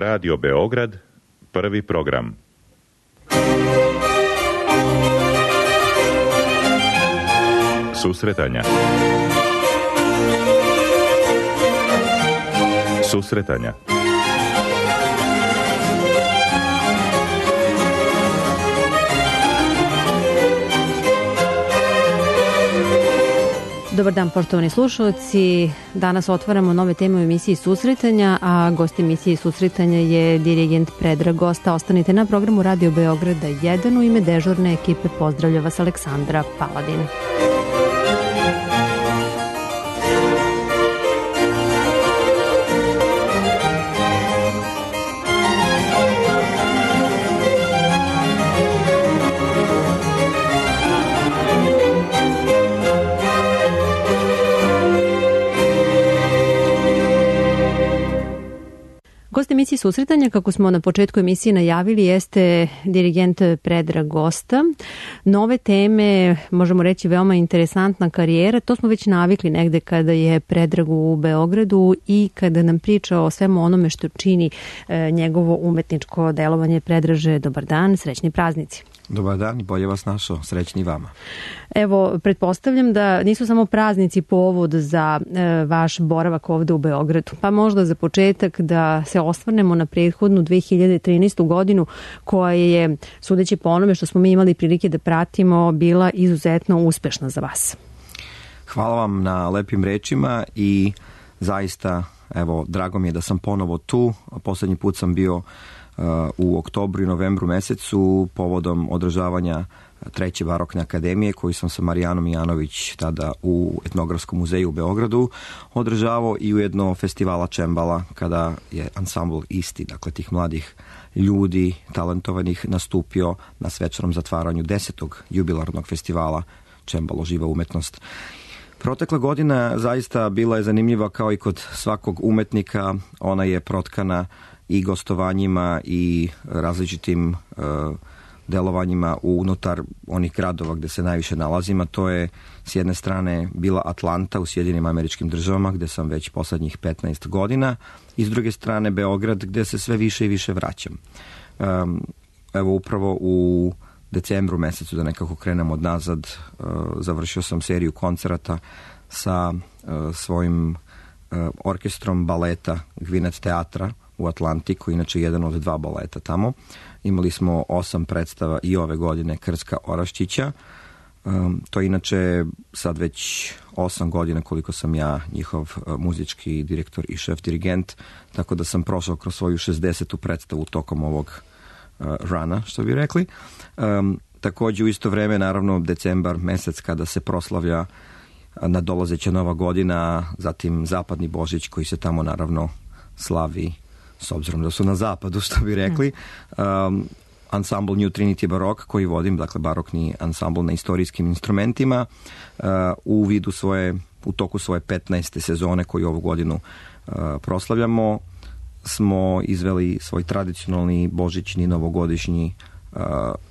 Radio Beograd, prvi program. Susretanja. Susretanja. Dobar dan, poštovani slušalci. Danas otvaramo nove teme u emisiji Susretanja, a gost emisije Susretanja je dirigent Predrag Gosta. Ostanite na programu Radio Beograda 1. U ime dežurne ekipe pozdravlja vas Aleksandra Paladin. Gost emisije Susretanja, kako smo na početku emisije najavili, jeste dirigent Predrag Gosta. Nove teme, možemo reći veoma interesantna karijera, to smo već navikli negde kada je Predrag u Beogradu i kada nam priča o svemu onome što čini njegovo umetničko delovanje. Predraže, dobar dan, srećni praznici. Dobar dan, bolje vas našao, srećni vama. Evo, pretpostavljam da nisu samo praznici povod za vaš boravak ovde u Beogradu, pa možda za početak da se osvrnemo na prethodnu 2013. godinu koja je, sudeći po onome što smo mi imali prilike da pratimo, bila izuzetno uspešna za vas. Hvala vam na lepim rečima i zaista, evo, drago mi je da sam ponovo tu. Poslednji put sam bio u oktobru i novembru mesecu povodom održavanja Treće barokne akademije koju sam sa Marijanom Janović tada u Etnografskom muzeju u Beogradu održavao i ujedno festivala čembala kada je ansambl isti, dakle tih mladih ljudi talentovanih, nastupio na svečanom zatvaranju 10. jubilarnog festivala Čembalo živa umetnost. Protekla godina zaista bila je zanimljiva kao i kod svakog umetnika. Ona je protkana i gostovanjima i različitim delovanjima unutar onih gradova gde se najviše nalazim. To je s jedne strane bila Atlanta u Sjedinim Američkim Državama gde sam već poslednjih 15 godina i s druge strane Beograd gde se sve više i više vraćam. Evo upravo u decembru mesecu, da nekako krenem od nazad, završio sam seriju koncerata sa svojim orkestrom baleta Gwinnett teatra u Atlanti, koji inače jedan od 2 baleta tamo. Imali smo 8 predstava i ove godine Krska Oraščića. To je inače sad već 8 godina koliko sam ja njihov muzički direktor i šef dirigent, tako da sam prošao kroz svoju 60. predstavu tokom ovog rana, što bi rekli. Takođe u isto vreme, naravno, decembar mesec kada se proslavlja nadolazeća Nova godina, zatim Zapadni Božić koji se tamo naravno slavi s obzirom da su na zapadu, što bi rekli. Ansambl New Trinity Baroque koji vodim, dakle barokni ansambl na istorijskim instrumentima, u toku svoje 15. sezone koju ovu godinu proslavljamo, smo izveli svoj tradicionalni božićni novogodišnji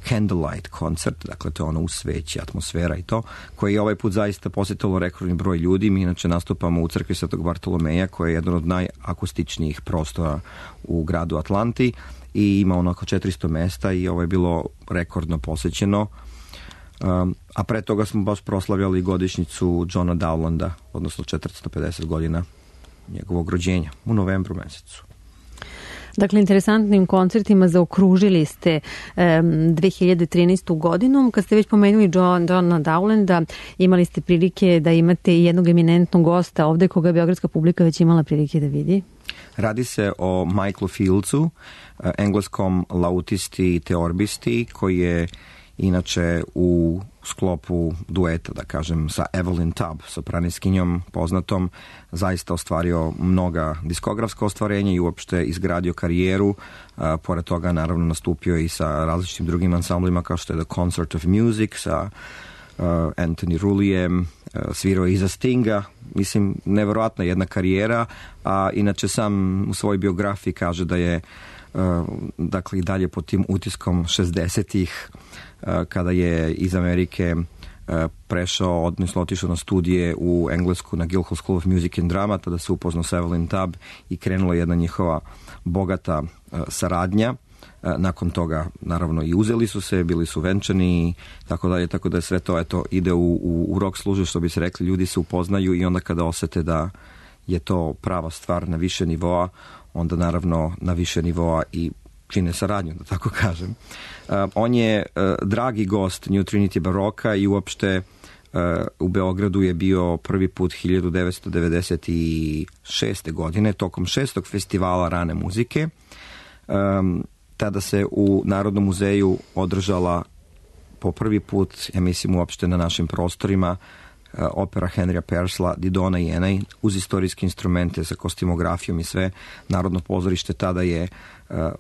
candlelight koncert, dakle to je ono u sveći, atmosfera i to, koji je ovaj put zaista posjetilo rekordni broj ljudi. Mi inače nastupamo u crkvi Svetog Bartolomeja, koja je jedan od najakustičnijih prostora u gradu Atlanti i ima onako 400 mesta i ovo je bilo rekordno posjećeno. A pre toga smo baš proslavljali godišnjicu Johna Dowlanda, odnosno 450 godina njegovog rođenja u novembru mesecu. Dakle, interesantnim koncertima zaokružili ste 2013. godinu. Kad ste već pomenuli Johna Dowlanda, imali ste prilike da imate i jednog eminentnog gosta ovde koga je beogradska publika već imala prilike da vidi. Radi se o Michaelu Fieldsu, engleskom lautisti i teorbisti, koji je inače u sklopu dueta, da kažem, sa Evelyn Tubb, sopraniskinjom poznatom, zaista ostvario mnoga diskografska ostvarenja i uopšte izgradio karijeru. Pored toga, naravno, nastupio i sa različitim drugim ansamblima kao što je The Concert of Music sa Anthony Rullijem, svirao iza Stinga. Mislim, neverovatna jedna karijera, a inače sam u svojoj biografiji kaže da je dakle i dalje pod tim utiskom 60-ih kada je iz Amerike prešao, odnosno otišao na studije u Englesku na Guildhall School of Music and Drama, tada se upoznao sa Evelyn Tubb i krenula jedna njihova bogata saradnja. Nakon toga, naravno, i uzeli su se, bili su venčani i tako dalje, tako da je sve to ide u rok služe, što bi se rekli, ljudi se upoznaju i onda kada osete da je to prava stvar na više nivoa, onda naravno na više nivoa i čine saradnju, da tako kažem. On je dragi gost New Trinity Baroka i uopšte u Beogradu je bio prvi put 1996. godine tokom 6. festivala rane muzike. Tada se u Narodnom muzeju održala po prvi put, ja mislim uopšte na našim prostorima, opera Henrya Purcella Didona i Enej uz istorijske instrumente sa kostimografijom i sve. Narodno pozorište tada je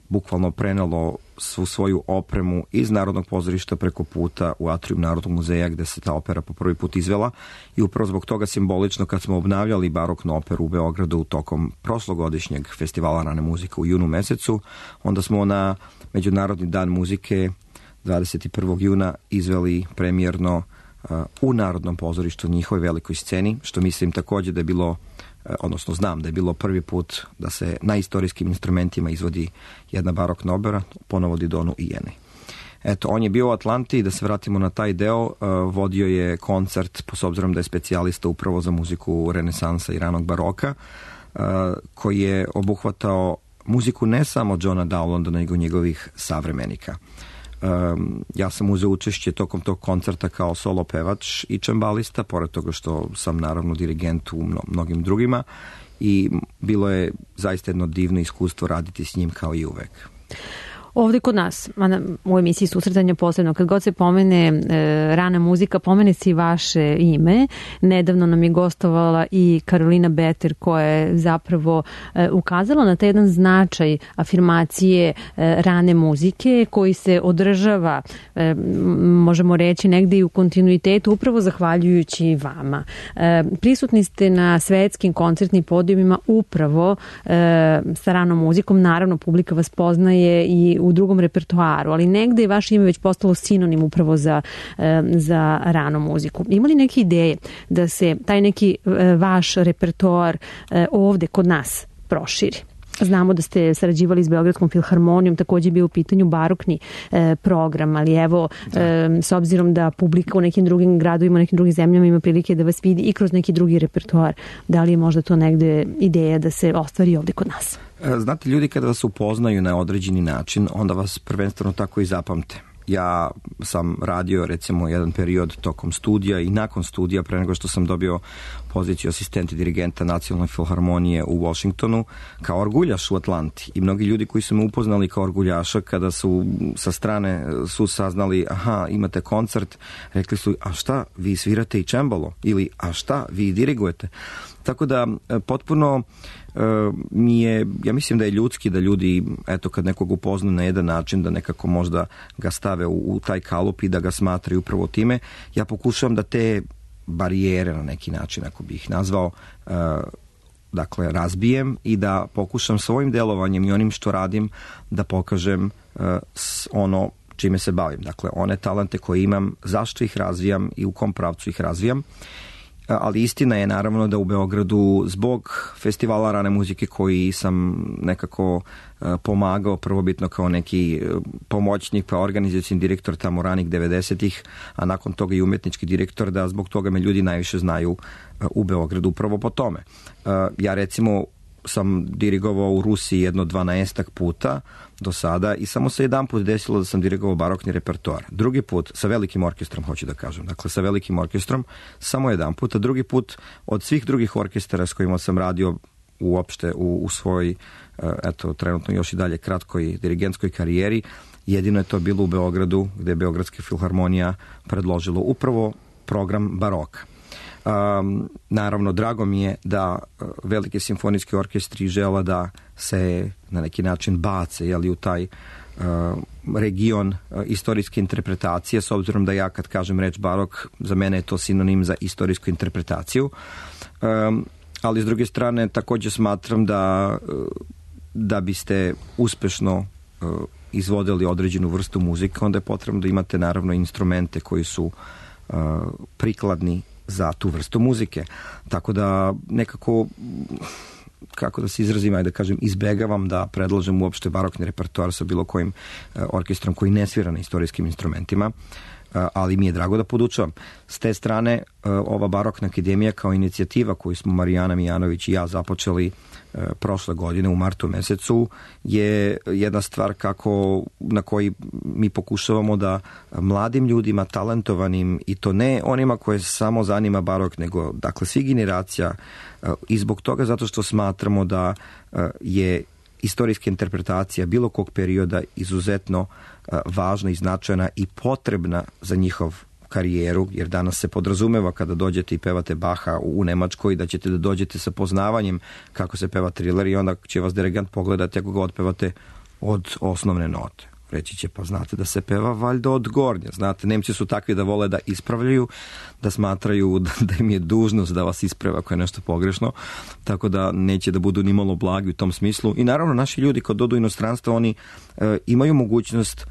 bukvalno prenelo svu svoju opremu iz Narodnog pozorišta preko puta u atrium Narodnog muzeja gde se ta opera po prvi put izvela i upravo zbog toga simbolično kad smo obnavljali baroknu operu u Beogradu tokom prošlogodišnjeg festivala rane muzike u junu mesecu, onda smo na Međunarodni dan muzike 21. juna izveli premijerno u Narodnom pozorištu njihovoj velikoj sceni, što mislim također da je bilo, odnosno znam da je bilo prvi put da se na istorijskim instrumentima izvodi jedna barokna opera, ponovo Didonu i Enej. Eto, on je bio u Atlanti, da se vratimo na taj deo, vodio je koncert, s obzirom da je specijalista upravo za muziku renesansa i ranog baroka, koji je obuhvatao muziku ne samo Johna Dowlanda, nego njegovih savremenika. Ja sam uzeo učešće tokom tog koncerta kao solo pevač i čembalista, pored toga što sam naravno dirigent u mnogim drugima i bilo je zaista jedno divno iskustvo raditi s njim kao i uvek. Ovde kod nas, u emisiji Susretanja posebno, kad god se pomene rana muzika, pomene se i vaše ime. Nedavno nam je gostovala i Karolina Beter, koja je zapravo ukazala na taj jedan značaj afirmacije rane muzike koji se održava, možemo reći, negde i u kontinuitetu, upravo zahvaljujući vama. Prisutni ste na svetskim koncertnim podijumima upravo sa ranom muzikom. Naravno, publika vas poznaje i u drugom repertoaru, ali negde je vaše ime već postalo sinonim upravo za ranu muziku. Ima li neke ideje da se taj neki vaš repertoar ovde kod nas proširi? Znamo da ste sarađivali s Beogradskom filharmonijom, također je bio u pitanju barokni program, ali evo, s obzirom da publika u nekim drugim gradovima, u nekim drugim zemljama ima prilike da vas vidi i kroz neki drugi repertoar, da li je možda to negde ideja da se ostvari ovde kod nas? Znate, ljudi kada vas upoznaju na određeni način, onda vas prvenstveno tako i zapamte. Ja sam radio recimo jedan period tokom studija i nakon studija, pre nego što sam dobio poziciju asistenta dirigenta Nacionalne filharmonije u Washingtonu, kao orguljaš u Atlanti. I mnogi ljudi koji su me upoznali kao orguljaša, kada su sa strane su saznali, aha, imate koncert, rekli su, a šta, vi svirate i čembalo? Ili, a šta, vi dirigujete? Tako da, potpuno mi je, ja mislim da je ljudski da ljudi, eto, kad nekog upozna na jedan način, da nekako možda ga stave u taj kalup i da ga smatraju upravo time. Ja pokušavam da te barijere na neki način, ako bih ih nazvao, dakle, razbijem i da pokušam svojim delovanjem i onim što radim da pokažem ono čime se bavim. Dakle, one talente koje imam, zašto ih razvijam i u kom pravcu ih razvijam. Ali istina je naravno da u Beogradu zbog festivala rane muzike koji sam nekako pomagao prvobitno kao neki pomoćnik pa organizacioni direktor tamo ranih 90-ih, a nakon toga i umetnički direktor, da zbog toga me ljudi najviše znaju u Beogradu upravo po tome. Ja recimo sam dirigovao u Rusiji jedno 12 puta do sada i samo se jedan put desilo da sam dirigovao barokni repertoar. Drugi put, sa velikim orkestrom, hoću da kažem, dakle sa velikim orkestrom, samo jedan put, a drugi put od svih drugih orkestara s kojima sam radio uopšte u svojoj, eto, trenutno još i dalje kratkoj dirigentskoj karijeri, jedino je to bilo u Beogradu, gde je Beogradska filharmonija predložilo upravo program baroka. Naravno, drago mi je da velike simfonijske orkestri žele da se na neki način bace, jeli, u taj region istorijske interpretacije, s obzirom da ja kad kažem reč barok, za mene je to sinonim za istorijsku interpretaciju. Ali s druge strane također smatram da biste uspešno izvodili određenu vrstu muzike, onda je potrebno da imate naravno instrumente koji su prikladni za tu vrstu muzike. Tako da nekako, kako da se izrazim, ajde da kažem, izbegavam da predlažem uopšte barokni repertoar sa bilo kojim orkestrom koji ne svira na istorijskim instrumentima, ali mi je drago da podučavam. S te strane, ova barokna akademija kao inicijativa koju smo Marijana Mijanović i ja započeli prošle godine u martu mesecu je jedna stvar na koji mi pokušavamo da mladim ljudima, talentovanim, i to ne onima koje samo zanima barok, nego dakle svih generacija, i zbog toga zato što smatramo da je istorijska interpretacija bilo kog perioda izuzetno važna i značajna i potrebna za njihov karijeru, jer danas se podrazumeva kada dođete i pevate Baha u Nemačkoj da ćete da dođete sa poznavanjem kako se peva Triler i onda će vas dirigent pogledati ako ga otpevate od osnovne note. Reći će, pa znate da se peva valjda od gornje. Znate, Nemci su takvi da vole da ispravljaju, da smatraju da im je dužnost da vas isprave ako je nešto pogrešno, tako da neće da budu ni malo blagi u tom smislu. I naravno, naši ljudi kad dodu u inostranstvo, oni imaju mogućnost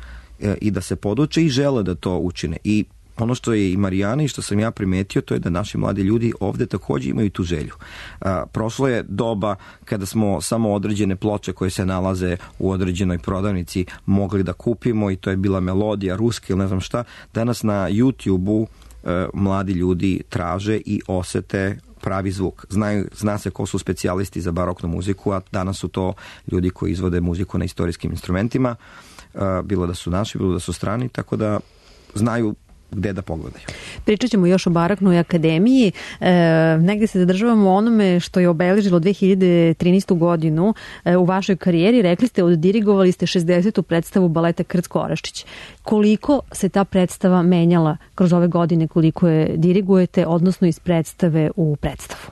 i da se poduče i žele da to učine. I ono što je i Marijana i što sam ja primetio, to je da naši mladi ljudi ovde takođe imaju tu želju. Prošlo je doba kada smo samo određene ploče koje se nalaze u određenoj prodavnici mogli da kupimo i to je bila melodija ruska ili ne znam šta. Danas na YouTube-u mladi ljudi traže i osete pravi zvuk. Zna se ko su specijalisti za baroknu muziku, a danas su to ljudi koji izvode muziku na istorijskim instrumentima, bilo da su naši, bilo da su strani, tako da znaju gde da pogledaju. Pričat ćemo još o baroknoj akademiji. Negde se zadržavamo onome što je obeležilo 2013. godinu u vašoj karijeri. Rekli ste, oddirigovali ste 60. predstavu baleta Krcko Oraščić. Koliko se ta predstava menjala kroz ove godine, koliko je dirigujete, odnosno iz predstave u predstavu?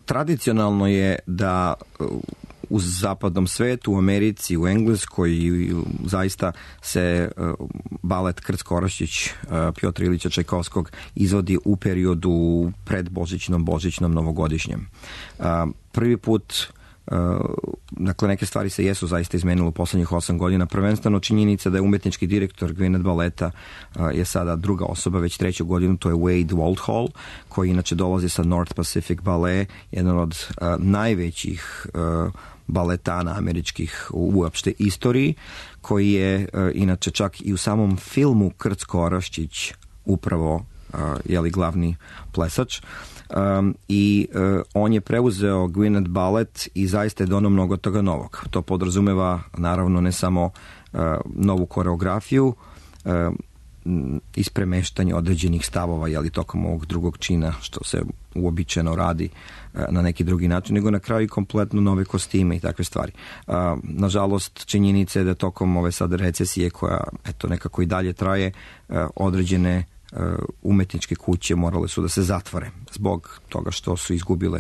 Tradicionalno je da u zapadnom svetu, u Americi, u Engleskoj zaista se balet Krcko Oraščić Pjotra Ilića Čajkovskog izvodi u periodu pred božićnom, novogodišnjem. Prvi put, dakle, neke stvari se jesu zaista izmenilo u poslednjih 8 godina. Prvenstveno činjenica da je umetnički direktor Gwyneth baleta je sada druga osoba, već 3. godinu, to je Wade Waldhall, koji inače dolazi sa North Pacific Ballet, jedan od najvećih baletana američkih u uopšte istoriji, koji je inače čak i u samom filmu Krcko Oraščić upravo glavni plesač. I on je preuzeo Gwyneth balet i zaista je donao mnogo toga novog. To podrazumeva naravno ne samo novu koreografiju, ispremeštanje određenih stavova tokom ovog drugog čina, što se uobičajeno radi na neki drugi način, nego na kraju kompletno nove kostime i takve stvari. Nažalost, činjenica je da tokom ove sad recesije koja nekako i dalje traje, određene umetničke kuće morale su da se zatvore zbog toga što su izgubile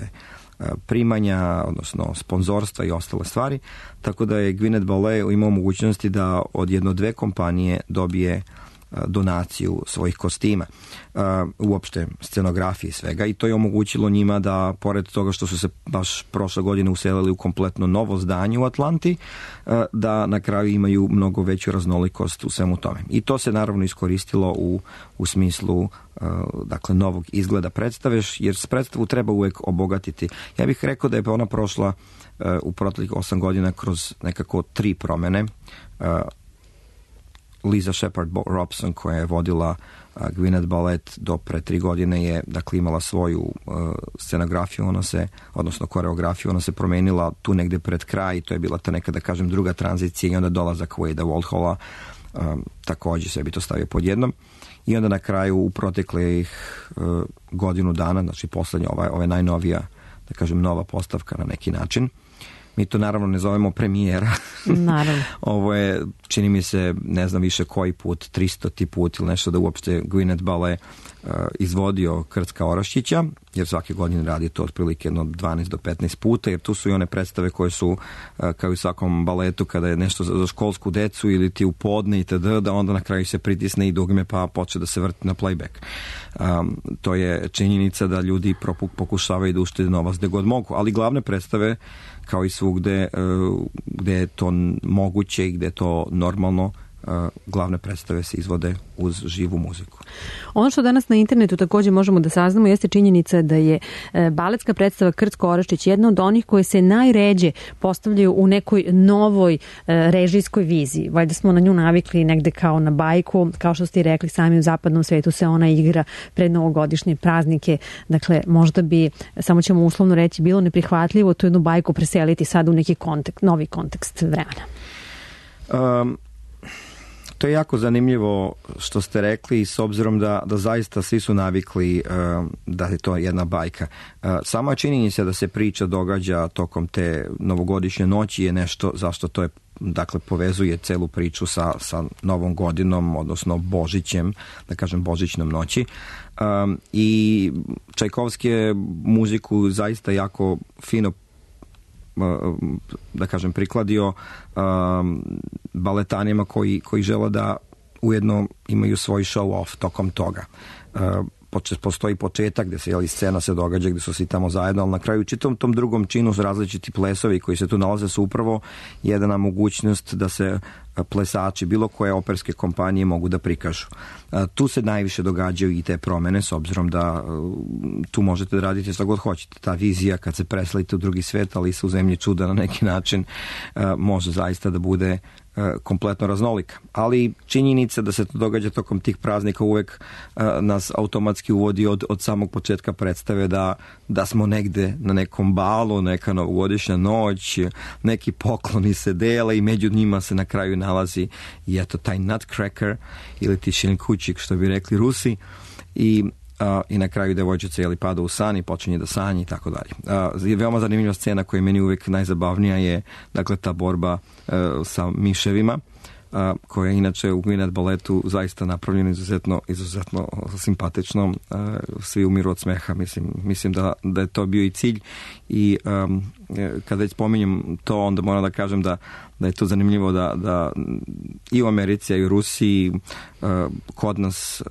primanja, odnosno sponzorstva i ostale stvari, tako da je Gwyneth Ballet imao mogućnosti da od 1-2 kompanije dobije donaciju svojih kostima, uopšte scenografije i svega, i to je omogućilo njima da, pored toga što su se baš prošle godine uselili u kompletno novo zdanje u Atlanti, da na kraju imaju mnogo veću raznolikost u svemu tome. I to se naravno iskoristilo u smislu dakle novog izgleda predstave, jer predstavu treba uvek obogatiti. Ja bih rekao da je ona prošla u proteklih 8 godina kroz nekako 3 promene. Lisa Shepard Robson, koja je vodila Gwyneth ballet do pre 3 godine, je dakle imala svoju scenografiju, odnosno koreografiju, ona se promenila tu negde pred kraj, to je bila ta neka, da kažem, druga tranzicija, i onda dolazak Wadea Waldhalla, takođe sve bi to stavio pod jednom. I onda na kraju u proteklih godinu dana, znači poslednja, ova najnovija, da kažem, nova postavka na neki način. Mi to naravno ne zovemo premijera. Naravno. Ovo je, čini mi se, ne znam više koji put, 300. put ili nešto da uopšte Gwyneth Ballet izvodio Krcka Oraščića, jer svake godine radi to otprilike 12 do 15 puta, jer tu su i one predstave koje su, kao i svakom baletu, kada je nešto za školsku decu ili ti u podne itd., da onda na kraju se pritisne i dugme pa počne da se vrti na playback. To je činjenica da ljudi pokušavaju da uštede novac gde god mogu, ali glavne predstave, kao i svugde gde je to moguće i gde je to normalno, glavne predstave se izvode uz živu muziku. Ono što danas na internetu također možemo da saznamo jeste činjenica da je baletska predstava Krcko Oraščić jedna od onih koje se najređe postavljaju u nekoj novoj režijskoj viziji. Valjda smo na nju navikli negde kao na bajku, kao što ste i rekli, sami u zapadnom svetu se ona igra pred novogodišnje praznike. Dakle, možda bi, samo ćemo uslovno reći, bilo neprihvatljivo tu jednu bajku preseliti sad u neki novi kontekst vremena. To je jako zanimljivo što ste rekli, s obzirom da zaista svi su navikli da je to jedna bajka. Sama činjenica da se priča događa tokom te novogodišnje noći je nešto zašto to je, dakle, povezuje celu priču sa Novom godinom, odnosno Božićem, da kažem Božićnom noći. I Čajkovski je muziku zaista jako fino, da kažem, prikladio baletanima koji žele da ujedno imaju svoj show off tokom toga. Postoji početak gde se scena se događa, gde su svi tamo zajedno, ali na kraju čitom tom drugom činu su različiti plesovi koji se tu nalaze su upravo jedna mogućnost da se plesači bilo koje operske kompanije mogu da prikažu. Tu se najviše događaju i te promene, s obzirom da tu možete da radite šta god hoćete. Ta vizija kad se preselite u drugi svet, ali se u zemlji čuda na neki način, može zaista da bude kompletno raznolika. Ali činjenica da se to događa tokom tih praznika uvek nas automatski uvodi od samog početka predstave da smo negde na nekom balu, neka novogodišnja noć, neki pokloni se dele i među njima se na kraju nalazi i eto taj nutcracker ili ti šilinkućik, što bi rekli Rusi, i na kraju devojčica pada u san i počinje da sanja i tako dalje. Veoma zanimljiva scena koja je meni uvijek najzabavnija je, dakle, ta borba sa miševima, koja je inače u Gwyneth baletu zaista napravljena izuzetno simpatično. Svi umiru od smeha, mislim da je to bio i cilj. I kada već spominjem to, onda moram da kažem da je to zanimljivo da i u Americi, i u Rusiji, kod nas,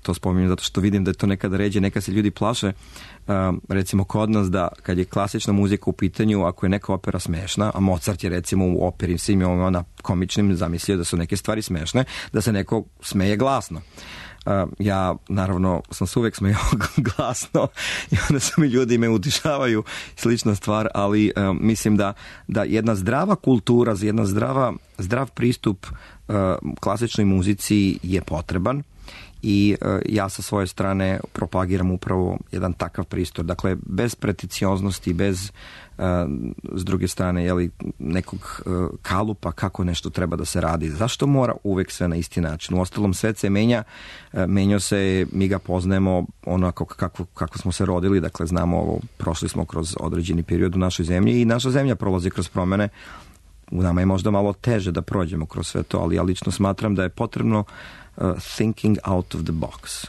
to spominjem zato što vidim da je to nekada ređe, neka se ljudi plaše, recimo kod nas, da kad je klasična muzika u pitanju, ako je neka opera smešna, a Mozart je recimo u operi svim ona komičnim zamislio da su neke stvari smešne, da se neko smeje glasno. Ja, naravno, sam se uvek smejao glasno i onda su mi ljudi me utišavaju, slična stvar, ali mislim da jedna zdrava kultura, jedna zdrav pristup klasičnoj muzici je potreban. I ja sa svoje strane propagiram upravo jedan takav pristup. Dakle, bez preticioznosti, bez s druge strane nekog kalupa kako nešto treba da se radi. Zašto mora uvek sve na isti način? U ostalom, svet se menjao se, mi ga poznajemo onako kako smo se rodili, dakle znamo ovo, prošli smo kroz određeni period u našoj zemlji i naša zemlja prolazi kroz promene. U nama je možda malo teže da prođemo kroz sve to, ali ja lično smatram da je potrebno thinking out of the box.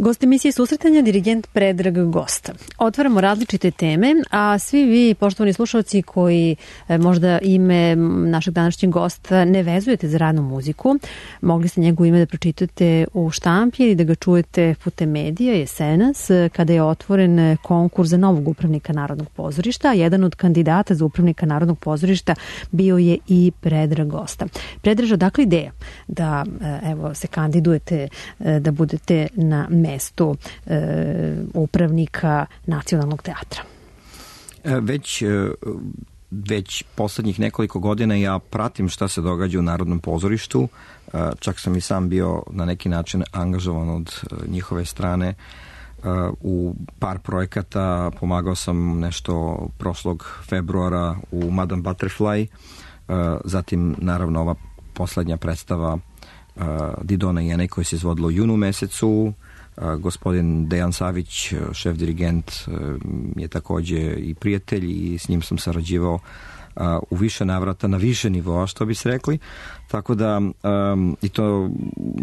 Gost emisije Susretanja, dirigent Predrag Gosta. Otvaramo različite teme, a svi vi, poštovani slušalci koji možda ime našeg današnjeg gosta ne vezujete za radnu muziku, mogli ste njegovo ime da pročitate u štampi ili da ga čujete putem medija jesenas, kada je otvoren konkurs za novog upravnika Narodnog pozorišta. Jedan od kandidata za upravnika Narodnog pozorišta bio je i Predrag Gosta. Predraž, odakle ideja da se kandidujete da budete na mestu upravnika Nacionalnog teatra? Već poslednjih nekoliko godina ja pratim šta se događa u Narodnom pozorištu. Čak sam i sam bio na neki način angažovan od njihove strane u par projekata. Pomagao sam nešto prošlog februara u Madame Butterfly. Zatim, naravno, ova poslednja predstava Didona i Enej koja se izvodila u junu mesecu. Gospodin Dejan Savić, šef dirigent, je takođe i prijatelj i s njim sam sarađivao u više navrata, na više nivoa, što bi se rekli. Tako da i to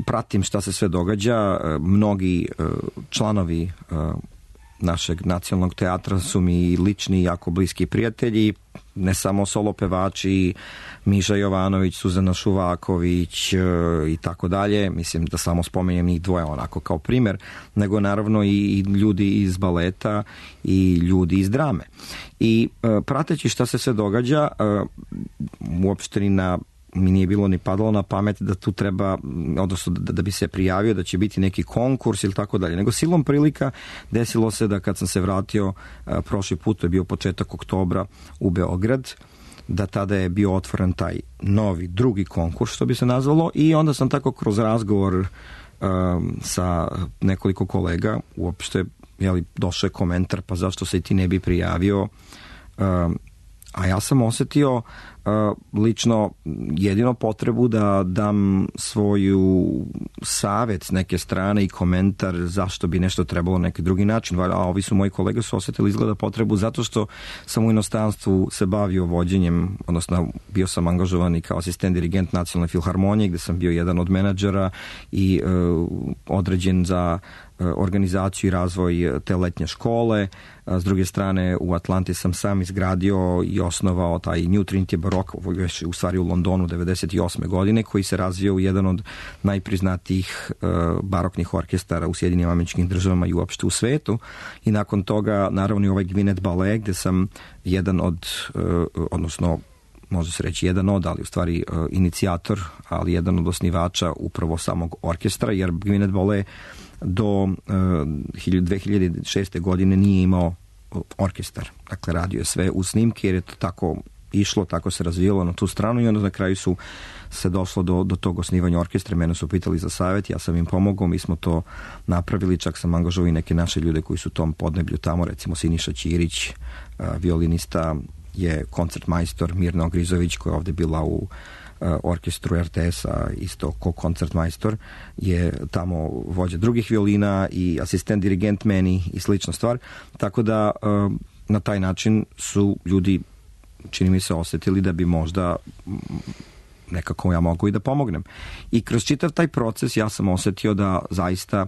pratim šta se sve događa. Mnogi članovi našeg nacionalnog teatra su mi lični, jako bliski prijatelji, ne samo solo pevači, Miša Jovanović, Suzana Šuvaković i tako dalje. Mislim da samo spomenjem njih dvoje onako kao primer, nego naravno i ljudi iz baleta i ljudi iz drame. I prateći šta se sve događa, uopšte mi nije bilo ni padalo na pamet da tu treba, odnosno da bi se prijavio da će biti neki konkurs ili tako dalje. Nego silom prilika desilo se da kad sam se vratio prošli put, to je bio početak oktobra u Beograd, da tada je bio otvoren taj novi, drugi konkurs, što bi se nazvalo, i onda sam tako kroz razgovor sa nekoliko kolega uopšte došao je komentar, pa zašto se ti ne bi prijavio, a ja sam osetio lično jedino potrebu da dam svoju savet s neke strane i komentar zašto bi nešto trebalo na neki drugi način. A ovi su moji kolege su osetili izgleda potrebu zato što sam u inostranstvu se bavio vođenjem, odnosno bio sam angažovan i kao asistent dirigent Nacionalne filharmonije gde sam bio jedan od menadžera i određen za organizaciju i razvoj te letnje škole. S druge strane, u Atlanti sam sam izgradio i osnovao taj New Trinity Baroque, u stvari u Londonu 98. godine, koji se razvio u jedan od najpriznatijih baroknih orkestara u Sjedinim Američkim Državama i uopšte u svetu. I nakon toga, naravno, i ovaj Gwinnett Ballet, gde sam jedan od, odnosno može se reći jedan od, ali u stvari inicijator, ali jedan od osnivača upravo samog orkestra, jer Gwinnett Ballet do 2006. godine nije imao orkestar. Dakle, radio je sve u snimke jer je to tako išlo, tako se razvijalo na tu stranu i onda na kraju su se došlo do tog osnivanja orkestra. Mene su pitali za savjet, ja sam im pomogao, mi smo to napravili, čak sam angažovao i neke naše ljude koji su u tom podneblju tamo, recimo Siniša Ćirić, violinista, je koncertmajstor, Mirna Ogrizović koja je ovde bila u orkestru RTS-a, isto ko koncertmajstor, je tamo vođa drugih violina i asistent dirigent meni i slična stvar. Tako da na taj način su ljudi, čini mi se, osetili da bi možda nekako ja mogu i da pomognem. I kroz čitav taj proces ja sam osetio da zaista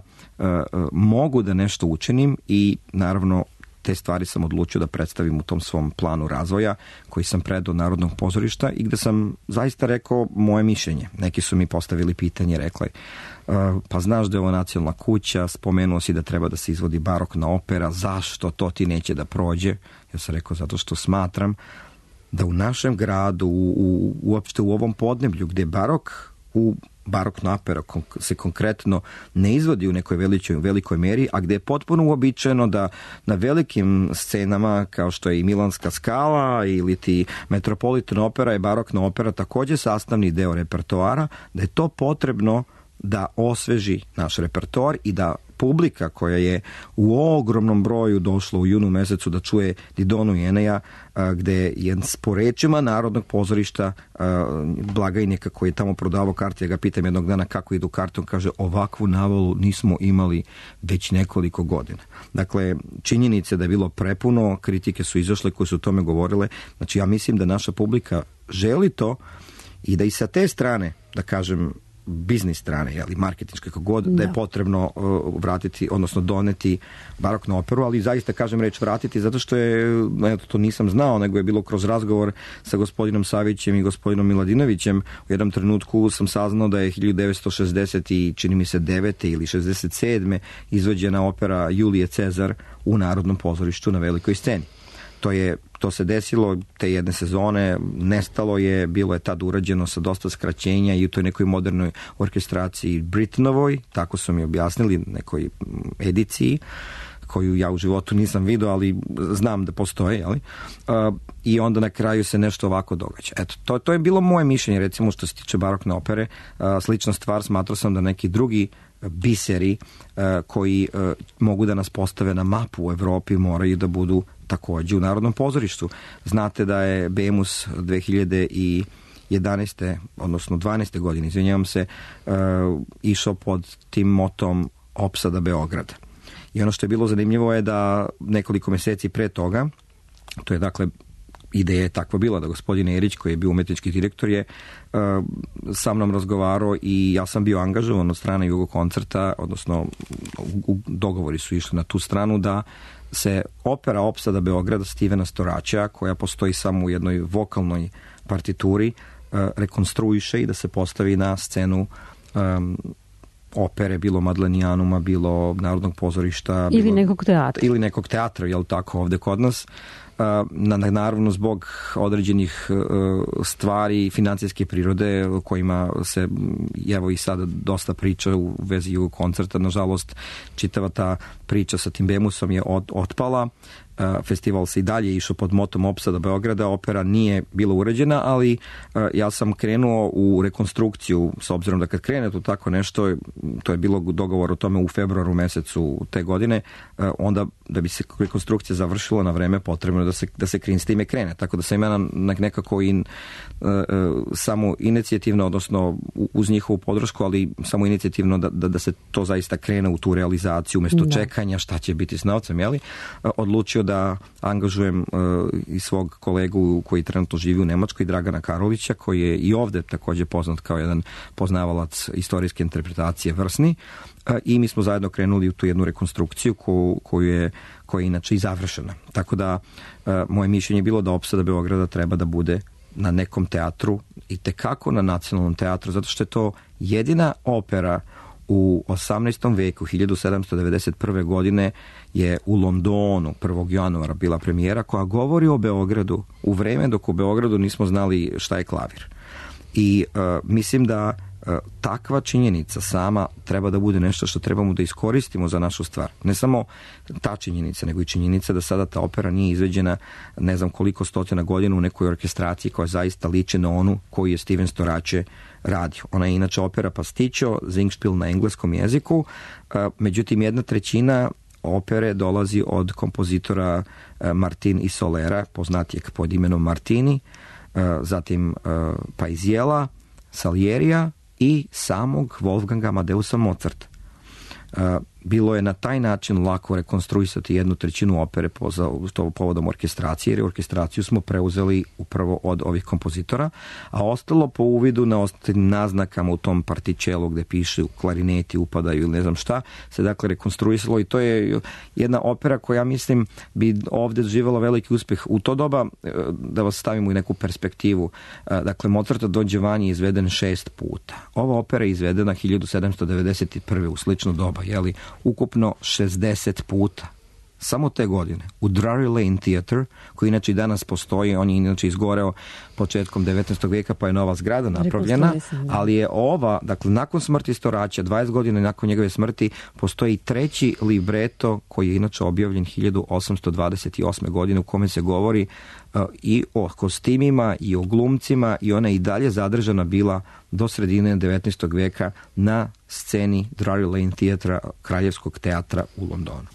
mogu da nešto učinim i naravno te stvari sam odlučio da predstavim u tom svom planu razvoja koji sam predao Narodnog pozorišta i gde sam zaista rekao moje mišljenje. Neki su mi postavili pitanje, rekli pa znaš da je ovo nacionalna kuća, spomenuo si da treba da se izvodi barokna opera, zašto to ti neće da prođe? Ja sam rekao zato što smatram da u našem gradu, uopšte u ovom podneblju gde barokna opera se konkretno ne izvodi u nekoj velikoj meri, a gde je potpuno uobičajeno da na velikim scenama kao što je i Milanska Skala ili ti Metropolitan opera i barokna opera takođe sastavni deo repertoara, da je to potrebno da osveži naš repertoar i da publika koja je u ogromnom broju došla u junu mesecu da čuje Didonu i Eneja, gde je po rečima Narodnog pozorišta blagajnika koji je tamo prodavao karte, ja ga pitam jednog dana kako idu karte, on kaže ovakvu navalu nismo imali već nekoliko godina. Dakle, činjenice da je bilo prepuno, kritike su izašle koje su o tome govorile, znači ja mislim da naša publika želi to i da i sa te strane, da kažem, biznis strane, marketinške, kako god, da je potrebno vratiti, odnosno doneti baroknu operu, ali zaista kažem reč vratiti, zato što je, to nisam znao, nego je bilo kroz razgovor sa gospodinom Savićem i gospodinom Miladinovićem. U jednom trenutku sam saznao da je 1960 i čini mi se 9. ili 67. izvođena opera Julije Cezar u Narodnom pozorištu na velikoj sceni. To se desilo te jedne sezone, nestalo je, bilo je tad urađeno sa dosta skraćenja i u toj nekoj modernoj orkestraciji Britonovoj, tako su mi objasnili, nekoj ediciji koju ja u životu nisam vidio, ali znam da postoje, i onda na kraju se nešto ovako događa. Eto, to je bilo moje mišljenje, recimo što se tiče barokne opere. Slična stvar, smatrao sam da neki drugi biseri koji mogu da nas postave na mapu u Evropi moraju da budu takođe u Narodnom pozorištu. Znate da je Bemus 2011. odnosno 12. godine, izvinjavam se, išao pod tim motom Opsada Beograda. I ono što je bilo zanimljivo je da nekoliko meseci pre toga, to je dakle ideja je takva bila da gospodin Erić, koji je bio umetnički direktor, je sa mnom razgovarao i ja sam bio angažovan od strane Jugokoncerta, odnosno dogovori su išli na tu stranu da se opera Opsada Beograda Stevena Storaća, koja postoji samo u jednoj vokalnoj partituri, rekonstruiše i da se postavi na scenu opere, bilo Madlenijanuma, bilo Narodnog pozorišta. Ili nekog teatra. Ili nekog teatra, jel tako, ovde kod nas. Naravno, zbog određenih stvari financijske prirode kojima se evo i sada dosta priča u vezi Jugokoncerta. Nažalost, čitava ta priča sa tim Bemusom je otpala. Festival se i dalje išao pod motom Opsada Beograda, opera nije bila urađena, ali ja sam krenuo u rekonstrukciju, s obzirom da kad krene tu tako nešto, to je bilo dogovor o tome u februaru mesecu te godine, onda da bi se rekonstrukcija završila na vreme, potrebno je da se s time krene. Tako da sam ja nekako samo inicijativno, odnosno uz njihovu podršku, ali samo inicijativno da se to zaista krene u tu realizaciju umesto čekanja šta će biti s novcem, odlučio da angažujem i svog kolegu koji trenutno živi u Nemačkoj, Dragana Karolića, koji je i ovde takođe poznat kao jedan poznavalac istorijske interpretacije vrsni, i mi smo zajedno krenuli u tu jednu rekonstrukciju koja je inače i završena. Tako da moje mišljenje je bilo da Opsada Beograda treba da bude na nekom teatru, i tekako na Nacionalnom teatru, zato što je to jedina opera u 18. veku, 1791. godine je u Londonu 1. januara bila premijera koja govori o Beogradu u vreme dok u Beogradu nismo znali šta je klavir. I mislim da takva činjenica sama treba da bude nešto što trebamo da iskoristimo za našu stvar. Ne samo ta činjenica, nego i činjenica da sada ta opera nije izveđena ne znam koliko stotina godina u nekoj orkestraciji koja zaista liči na onu koju je Steven Storaće radio. Ona je inače opera pastićo, Singspiel na engleskom jeziku, međutim 1/3 opere dolazi od kompozitora Martin i Solera, poznatijeg pod imenom Martini, zatim Paisiela, Salierija i samog Wolfganga Amadeusa Mozarta. Bilo je na taj način lako rekonstruisati 1/3 opere povodom orkestracije, jer orkestraciju smo preuzeli upravo od ovih kompozitora, a ostalo po uvidu na ostalim naznakama u tom partičelu gde piše klarineti upadaju ili ne znam šta, se dakle rekonstruisalo, i to je jedna opera koja, mislim, bi ovde doživjela veliki uspeh. U to doba, da vas stavimo u neku perspektivu, dakle Mozartov Don Giovanni je izveden 6 puta. Ova opera je izvedena 1791. u slično doba, ukupno 60 puta. Samo te godine. U Drury Lane Theatre, koji inače i danas postoji, on je inače izgoreo početkom 19. veka, pa je nova zgrada napravljena, ali je ova, dakle, nakon smrti Storaća, 20 godina nakon njegove smrti, postoji treći libreto koji je inače objavljen 1828. godine, u kome se govori i o kostimima i o glumcima, i ona i dalje zadržana bila do sredine 19. veka na sceni Drury Lane Theatra, Kraljevskog teatra u Londonu.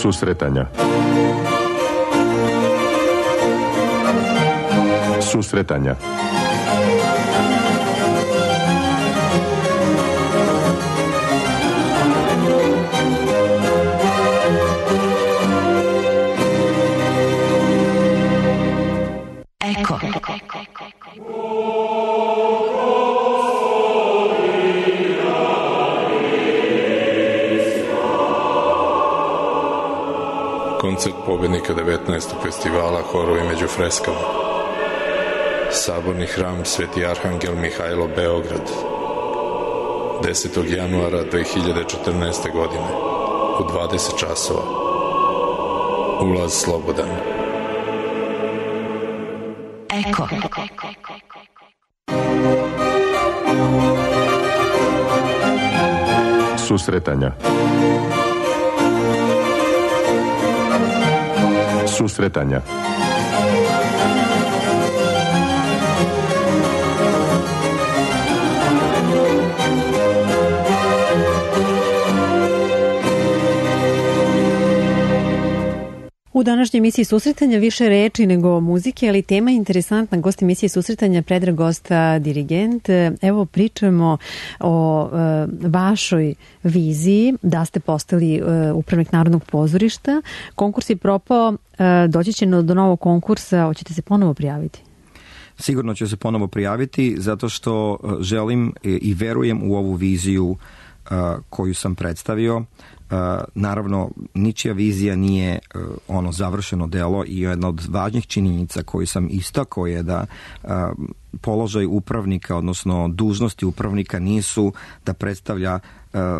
Susretanja. Susretanja. Eko. Koncert pobednika 19. festivala Horovi među freskama. Saborni hram Sveti Arhangel Mihajlo, Beograd. 10. januara 2014. godine u 20 časova. Ulaz slobodan. Eko. Susretanja. Susretanja. U današnjoj emisiji Susretanja više reči nego muzike, ali tema je interesantna. Gost emisije Susretanja Predrag Gosta, dirigent. Evo pričamo o vašoj viziji da ste postali upravnik Narodnog pozorišta. Konkurs je propao, doći će do novog konkursa, hoćete se ponovo prijaviti? Sigurno ću se ponovo prijaviti zato što želim i verujem u ovu viziju koju sam predstavio. Naravno, ničija vizija nije ono završeno delo i jedna od važnijih činjenica koju sam istakao je da položaj upravnika, odnosno dužnosti upravnika nisu da predstavlja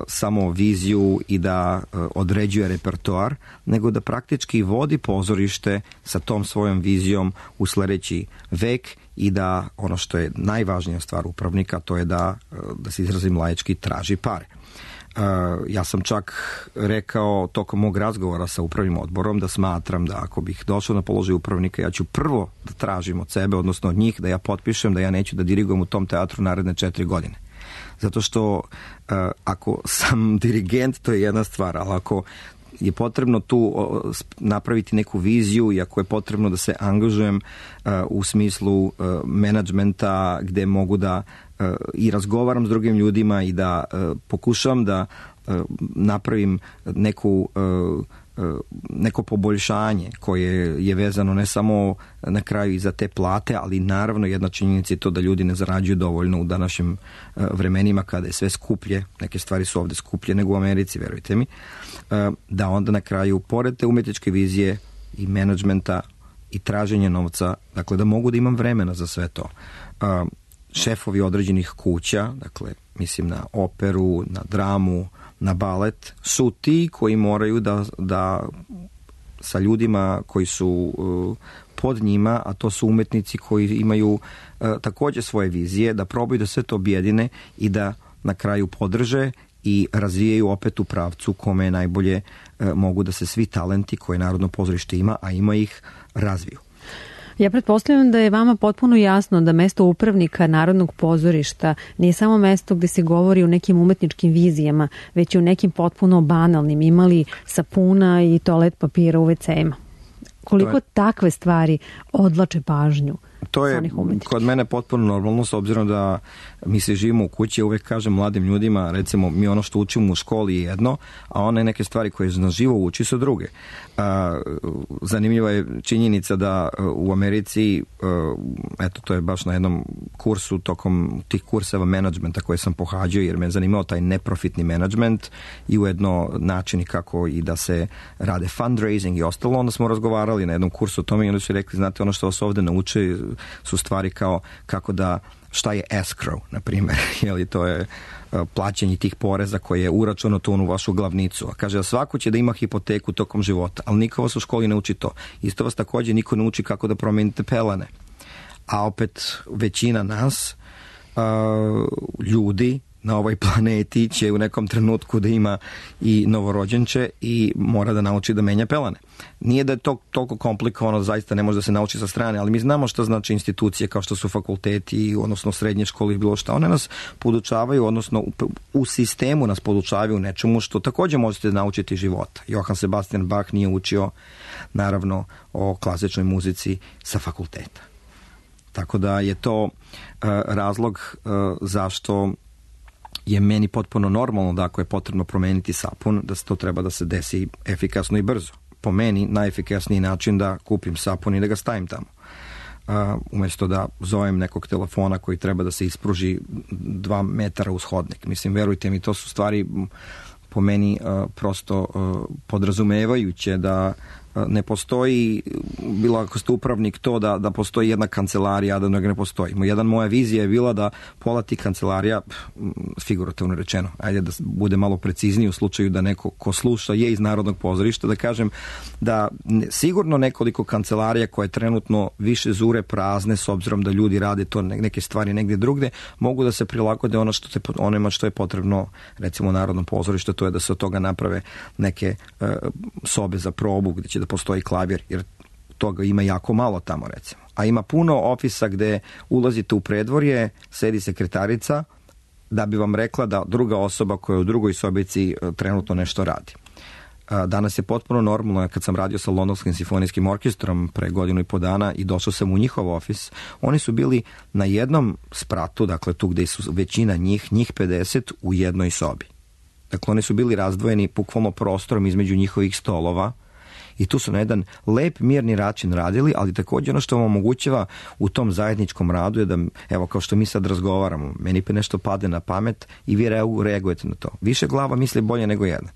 samo viziju i da određuje repertoar, nego da praktički vodi pozorište sa tom svojom vizijom u sledeći vek i da ono što je najvažnija stvar upravnika, to je da se izrazim laički, traži pare. Ja sam čak rekao tokom mog razgovora sa upravnim odborom da smatram da ako bih došao na položaj upravnika, ja ću prvo da tražim od sebe, odnosno od njih, da ja potpišem da ja neću da dirigujem u tom teatru naredne 4 godine. Zato što ako sam dirigent, to je jedna stvar, ali ako je potrebno tu napraviti neku viziju i ako je potrebno da se angažujem u smislu menadžmenta gde mogu da i razgovaram s drugim ljudima i da pokušam da napravim neko poboljšanje koje je vezano ne samo na kraju i za te plate, ali naravno jedna činjenica je to da ljudi ne zarađuju dovoljno u današnjim vremenima kada je sve skuplje, neke stvari su ovde skuplje nego u Americi, verujte mi, da onda na kraju, pored te umetničke vizije i menadžmenta i traženja novca, dakle da mogu da imam vremena za sve to. Šefovi određenih kuća, dakle mislim na operu, na dramu, na balet, su ti koji moraju da sa ljudima koji su pod njima, a to su umetnici koji imaju takođe svoje vizije, da probaju da sve to objedine i da na kraju podrže i razvijaju opet u pravcu kome najbolje mogu da se svi talenti koje Narodno pozorište ima, a ima ih, razviju. Ja pretpostavljam da je vama potpuno jasno da mesto upravnika Narodnog pozorišta nije samo mesto gde se govori o nekim umetničkim vizijama, već i o nekim potpuno banalnim, imali sapuna i toalet papira u WC-ima. Koliko takve stvari odvlače pažnju? To je kod mene potpuno normalno, s obzirom da mi se živimo u kući, uvek kažem mladim ljudima, recimo mi ono što učimo u školi je jedno, a one neke stvari koje na živo uči su druge. Zanimljiva je činjenica da u Americi, eto to je baš na jednom kursu tokom tih kurseva menadžmenta koje sam pohađao, jer me zanimao taj neprofitni menadžment i ujedno načini kako i da se rade fundraising i ostalo, onda smo razgovarali na jednom kursu o tome i onda su rekli, znate, ono što vas ovde nauče su stvari kao kako da, šta je escrow, na primjer, jeli to je plaćanje tih poreza koje je uračunato u vašu glavnicu. A kaže, svako će da ima hipoteku tokom života, ali niko vas u školi ne uči to. Isto vas takođe niko ne uči kako da promenite pelene. A opet većina nas, ljudi, na ovoj planeti će u nekom trenutku da ima i novorođenče i mora da nauči da menja pelane. Nije da je to toliko komplikovano, zaista ne može da se nauči sa strane, ali mi znamo što znači institucije kao što su fakulteti, odnosno srednje škole i bilo šta. One nas podučavaju, odnosno u sistemu nas podučavaju nečemu što također možete naučiti života. Johann Sebastian Bach nije učio, naravno, o klasičnoj muzici sa fakulteta. Tako da je to razlog zašto je meni potpuno normalno da ako je potrebno promeniti sapun, da to treba da se desi efikasno i brzo. Po meni najefikasniji način da kupim sapun i da ga stavim tamo. Umjesto da zovem nekog telefona koji treba da se ispruži 2 metara uz hodnik. Mislim, verujte mi, to su stvari po meni prosto podrazumevajuće da ne postoji, bilo ako ste upravnik, to da postoji jedna kancelarija, a da ne postoji. Moja vizija je bila da pola tih kancelarija, figurativno rečeno, ajde da bude malo precizniji u slučaju da neko ko sluša je iz Narodnog pozorišta, da kažem da sigurno nekoliko kancelarija koje trenutno više zure prazne s obzirom da ljudi rade to neke stvari negdje drugde, mogu da se prilagode onima što je potrebno, recimo Narodnom pozorištu, to je da se od toga naprave neke sobe za probu gdje će da postoji klavir, jer toga ima jako malo tamo, recimo. A ima puno ofisa gde ulazite u predvorje, sedi sekretarica da bi vam rekla da druga osoba koja je u drugoj sobici trenutno nešto radi. Danas je potpuno normalno, kad sam radio sa Londonskim simfonijskim orkestrom pre 1.5 dana i došao sam u njihov ofis, oni su bili na jednom spratu, dakle tu gde su većina njih 50 u jednoj sobi. Dakle, oni su bili razdvojeni bukvalno prostorom između njihovih stolova i tu su na jedan lep, mirni način radili, ali također ono što vam omogućava u tom zajedničkom radu je da, evo, kao što mi sad razgovaramo, meni pa nešto pade na pamet i vi reagujete na to. Više glava misli bolje nego jedna.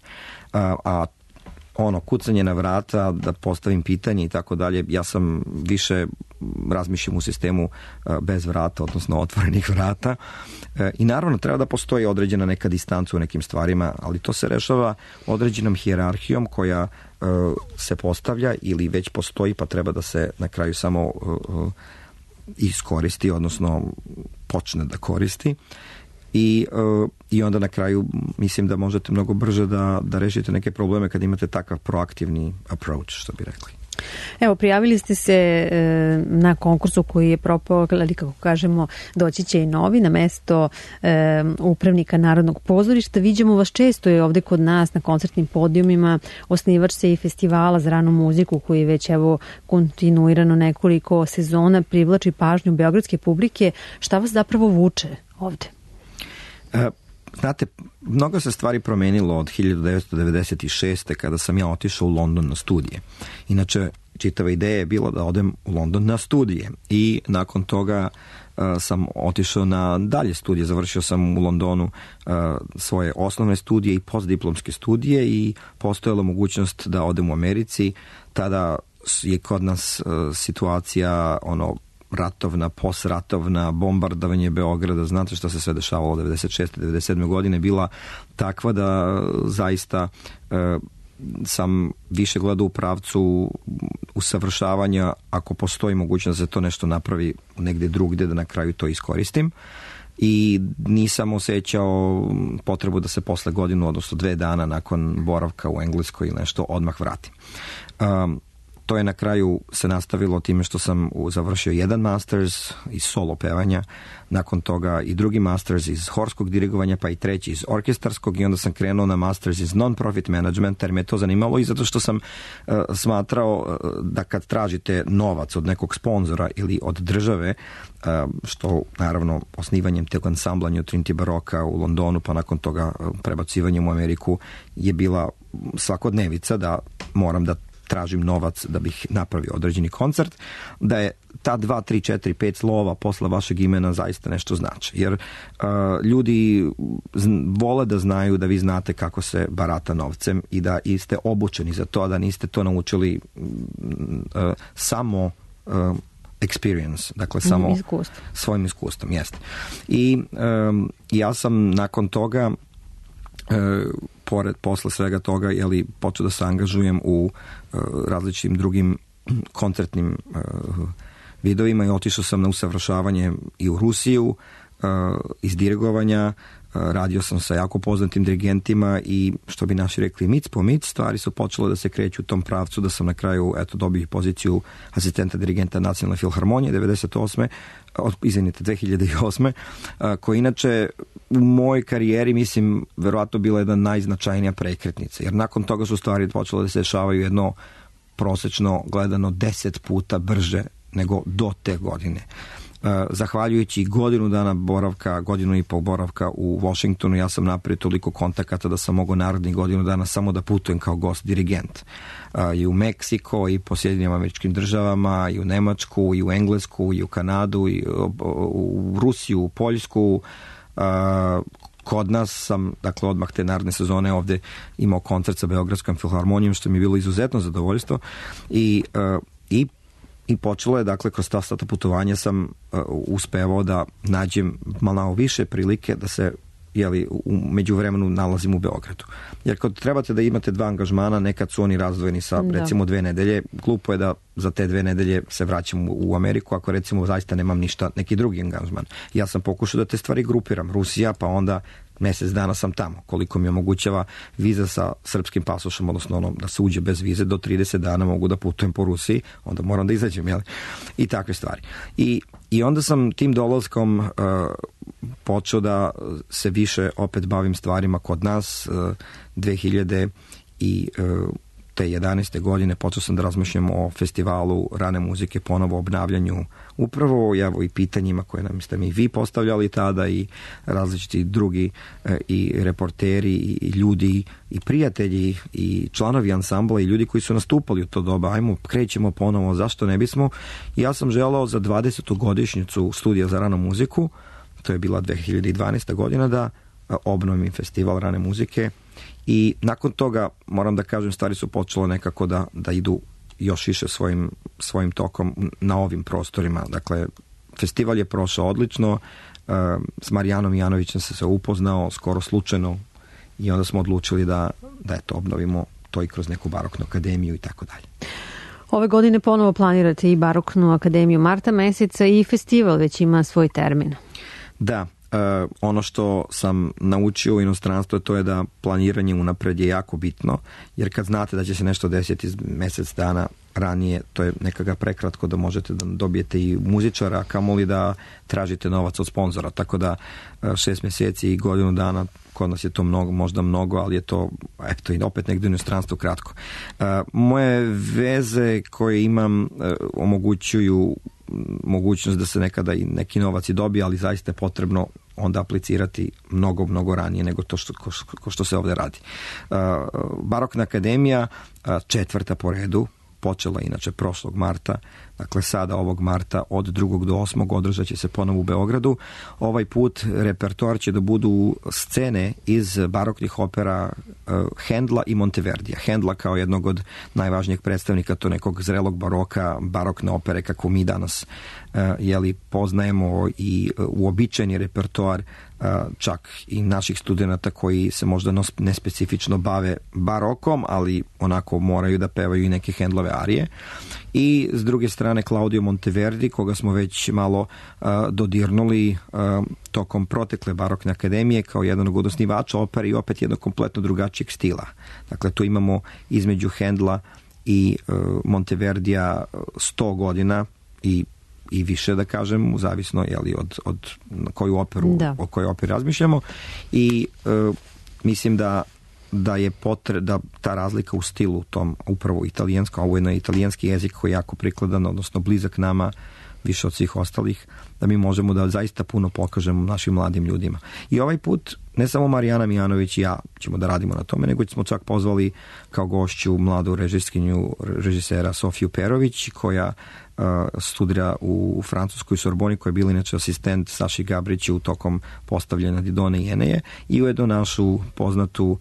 Kucanje na vrata, da postavim pitanje i tako dalje, ja sam više razmišljam u sistemu bez vrata, odnosno otvorenih vrata. I naravno treba da postoji određena neka distanca u nekim stvarima, ali to se rešava određenom hijerarhijom koja se postavlja ili već postoji, pa treba da se na kraju samo iskoristi, odnosno počne da koristi. I onda na kraju mislim da možete mnogo brže da rešite neke probleme kad imate takav proaktivni approach, što bi rekli. Evo, prijavili ste se na konkursu koji je propao, ali kako kažemo, doći će i novi na mesto upravnika Narodnog pozorišta. Viđamo vas često je ovde kod nas na koncertnim podijumima, osnivač se i festivala za ranu muziku koji već evo kontinuirano nekoliko sezona privlači pažnju beogradske publike. Šta vas zapravo vuče ovde? Znate, mnogo se stvari promenilo od 1996. kada sam ja otišao u London na studije. Inače, čitava ideja je bila da odem u London na studije i nakon toga sam otišao na dalje studije. Završio sam u Londonu svoje osnovne studije i postdiplomske studije i postojala mogućnost da odem u Americi. Tada je kod nas situacija ratovna, posratovna, bombardovanje Beograda, znate šta se sve dešavalo 96. 97. godine, bila takva da zaista sam više gledao u pravcu usavršavanja, ako postoji mogućnost da se to nešto napravi negdje drugdje, da na kraju to iskoristim. I nisam osjećao potrebu da se posle godinu, odnosno 2 dana nakon boravka u Engleskoj ili nešto odmah vratim. To je na kraju se nastavilo time što sam završio jedan masters iz solo pevanja, nakon toga i drugi masters iz horskog dirigovanja, pa i treći iz orkestarskog i onda sam krenuo na masters iz non-profit management, jer me to zanimalo i zato što sam smatrao da kad tražite novac od nekog sponzora ili od države, što naravno osnivanjem tog ansambla New Trinity Baroka u Londonu, pa nakon toga prebacivanjem u Ameriku je bila svakodnevica da moram da tražim novac da bih napravio određeni koncert, da je ta 2, 3, 4, 5 slova posle vašeg imena zaista nešto znači. Jer ljudi vole da znaju da vi znate kako se barata novcem i da ste obučeni za to, a da niste to naučili samo experience, dakle samo svojim iskustvom. Jeste. I ja sam nakon toga posle svega toga počeo da se angažujem u različitim drugim koncertnim vidovima i otišao sam na usavršavanje i u Rusiju iz dirigovanja, radio sam sa jako poznatim dirigentima i što bi naši rekli mic po mic, stvari su počele da se kreću u tom pravcu da sam na kraju dobio poziciju asistenta dirigenta Nacionalne filharmonije 2008. Koja inače u mojoj karijeri mislim verovatno bila jedna najznačajnija prekretnica, jer nakon toga su stvari počele da se dešavaju jedno prosečno gledano 10 puta brže nego do te godine. Zahvaljujući godinu i pol boravka u Washingtonu, ja sam napravio toliko kontakata da sam mogao narednih godinu dana samo da putujem kao gost dirigent. I u Meksiko, i po Sjedinjenim Američkim Državama, i u Nemačku, i u Englesku, i u Kanadu, i u Rusiju, u Poljsku. Kod nas sam, dakle, odmah te naredne sezone ovde imao koncert sa Beogradskom filharmonijom, što mi je bilo izuzetno zadovoljstvo. I počelo je, dakle, kroz ta putovanja sam uspevao da nađem malo više prilike da se u međuvremenu nalazim u Beogradu. Jer kad trebate da imate 2 angažmana, nekad su oni razdvojeni sa recimo 2 nedelje, glupo je da za te 2 nedelje se vraćam u Ameriku ako recimo zaista nemam ništa, neki drugi angažman. Ja sam pokušao da te stvari grupiram. Rusija, pa onda mesec dana sam tamo. Koliko mi omogućava viza sa srpskim pasošom, odnosno da se uđe bez vize, do 30 dana mogu da putujem po Rusiji, onda moram da izađem, jel? I takve stvari. I onda sam tim dolaskom počeo da se više opet bavim stvarima kod nas. 2011. godine počeo sam da razmišljam o festivalu rane muzike, ponovo obnavljanju, upravo i pitanjima koje nam ste mi vi postavljali tada i različiti drugi i reporteri i ljudi i prijatelji i članovi ansambla i ljudi koji su nastupali u to doba. Ajmo, krećemo ponovo, zašto ne bismo? Ja sam želeo za 20. godišnjicu studija za ranu muziku, to je bila 2012. godina, da obnovim festival rane muzike. I nakon toga, moram da kažem, stvari su počele nekako da idu još više svojim tokom na ovim prostorima. Dakle, festival je prošao odlično, s Marijanom Janovićem se upoznao skoro slučajno i onda smo odlučili da obnovimo to i kroz neku baroknu akademiju i tako dalje. Ove godine ponovo planirate i baroknu akademiju marta meseca i festival već ima svoj termin. Da. Ono što sam naučio u inostranstvu to je da planiranje unapred je jako bitno, jer kad znate da će se nešto desiti mesec dana ranije, to je nekako prekratko da možete da dobijete i muzičara, a kamoli da tražite novac od sponzora, tako da 6 mjeseci i godinu dana, kod nas je to možda mnogo, ali je to i opet negdje u inostranstvu kratko. Moje veze koje imam omogućuju mogućnost da se nekada i neki novac i dobije, ali zaista je potrebno onda aplicirati mnogo ranije nego to što se ovdje radi. Barokna akademija, 4. po redu, počela inače prošlog marta, dakle sada ovog marta od 2. do 8. održat će se ponovo u Beogradu. Ovaj put repertoar će da budu scene iz baroknih opera Hendla i Monteverdija. Hendla kao jednog od najvažnijih predstavnika to nekog zrelog baroka, barokne opere kako mi danas poznajemo i uobičajeni repertoar čak i naših studenata koji se možda nespecifično bave barokom, ali onako moraju da pevaju i neke Hendlove arije. I s druge strane Claudio Monteverdi, koga smo već malo dodirnuli tokom protekle barokne akademije kao jedan od osnivača opere i opet jednog kompletno drugačijeg stila. Dakle, tu imamo između Hendla i Monteverdija 100 godina i više, da kažem, zavisno od koju operu, o kojoj operi razmišljamo. I mislim da je da ta razlika u stilu tom upravo italijansko, ovo je na italijanski jezik koji je jako prikladan, odnosno blizak nama više od svih ostalih, da mi možemo da zaista puno pokažemo našim mladim ljudima. I ovaj put ne samo Marijana Mijanović i ja ćemo da radimo na tome, nego smo čak pozvali kao gošću mladu režisera Sofiju Perović, koja studira u francuskoj Sorboni, koja je bila inače asistent Saši Gabriću tokom postavljanja Didone i Eneje, i ujedno našu poznatu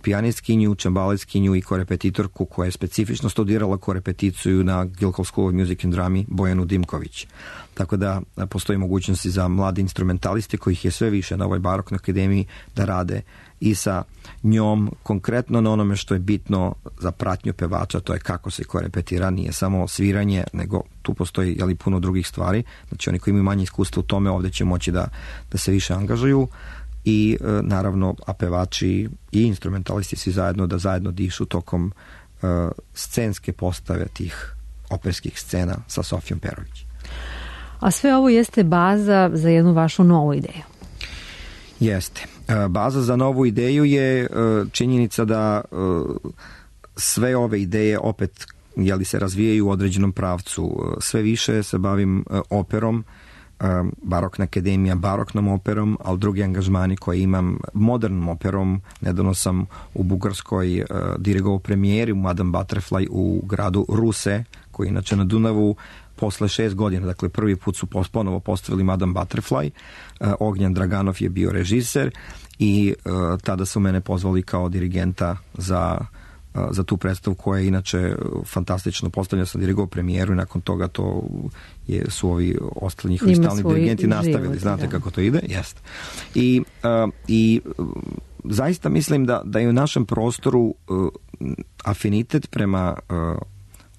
pijanistkinju, čembaletskinju i korepetitorku koja je specifično studirala korepeticiju na Guildhall School of Music and Drama, Bojanu Dimković. Tako da postoji mogućnosti za mlade instrumentaliste, kojih je sve više na ovoj baroknoj akademiji, da rade i sa njom konkretno na onome što je bitno za pratnju pevača, to je kako se korepetira, nije samo sviranje, nego tu postoji puno drugih stvari. Znači oni koji imaju manje iskustva u tome ovdje će moći da se više angažuju i naravno a pevači i instrumentalisti svi zajedno da zajedno dišu tokom scenske postave tih operskih scena sa Sofijom Perović. A sve ovo jeste baza za jednu vašu novu ideju. Jeste. Baza za novu ideju je činjenica da sve ove ideje opet se razvijaju u određenom pravcu. Sve više se bavim operom, Barokna akademija baroknom operom, ali drugi angažmani koje imam modernom operom. Nedavno sam u Bugarskoj dirigovao premijeri u Madame Butterfly u gradu Ruse, koji je inače na Dunavu posle 6 godina, dakle prvi put su ponovo postavili Madame Butterfly. Ognjan Draganov je bio režiser i tada su mene pozvali kao dirigenta za tu predstavu koja je inače fantastično postavljena. Sam dirigovao premijeru i nakon toga to su ovi ostali njihovi stalni dirigenti nastavili. Znate kako to ide? Jeste. I zaista mislim da je u našem prostoru afinitet prema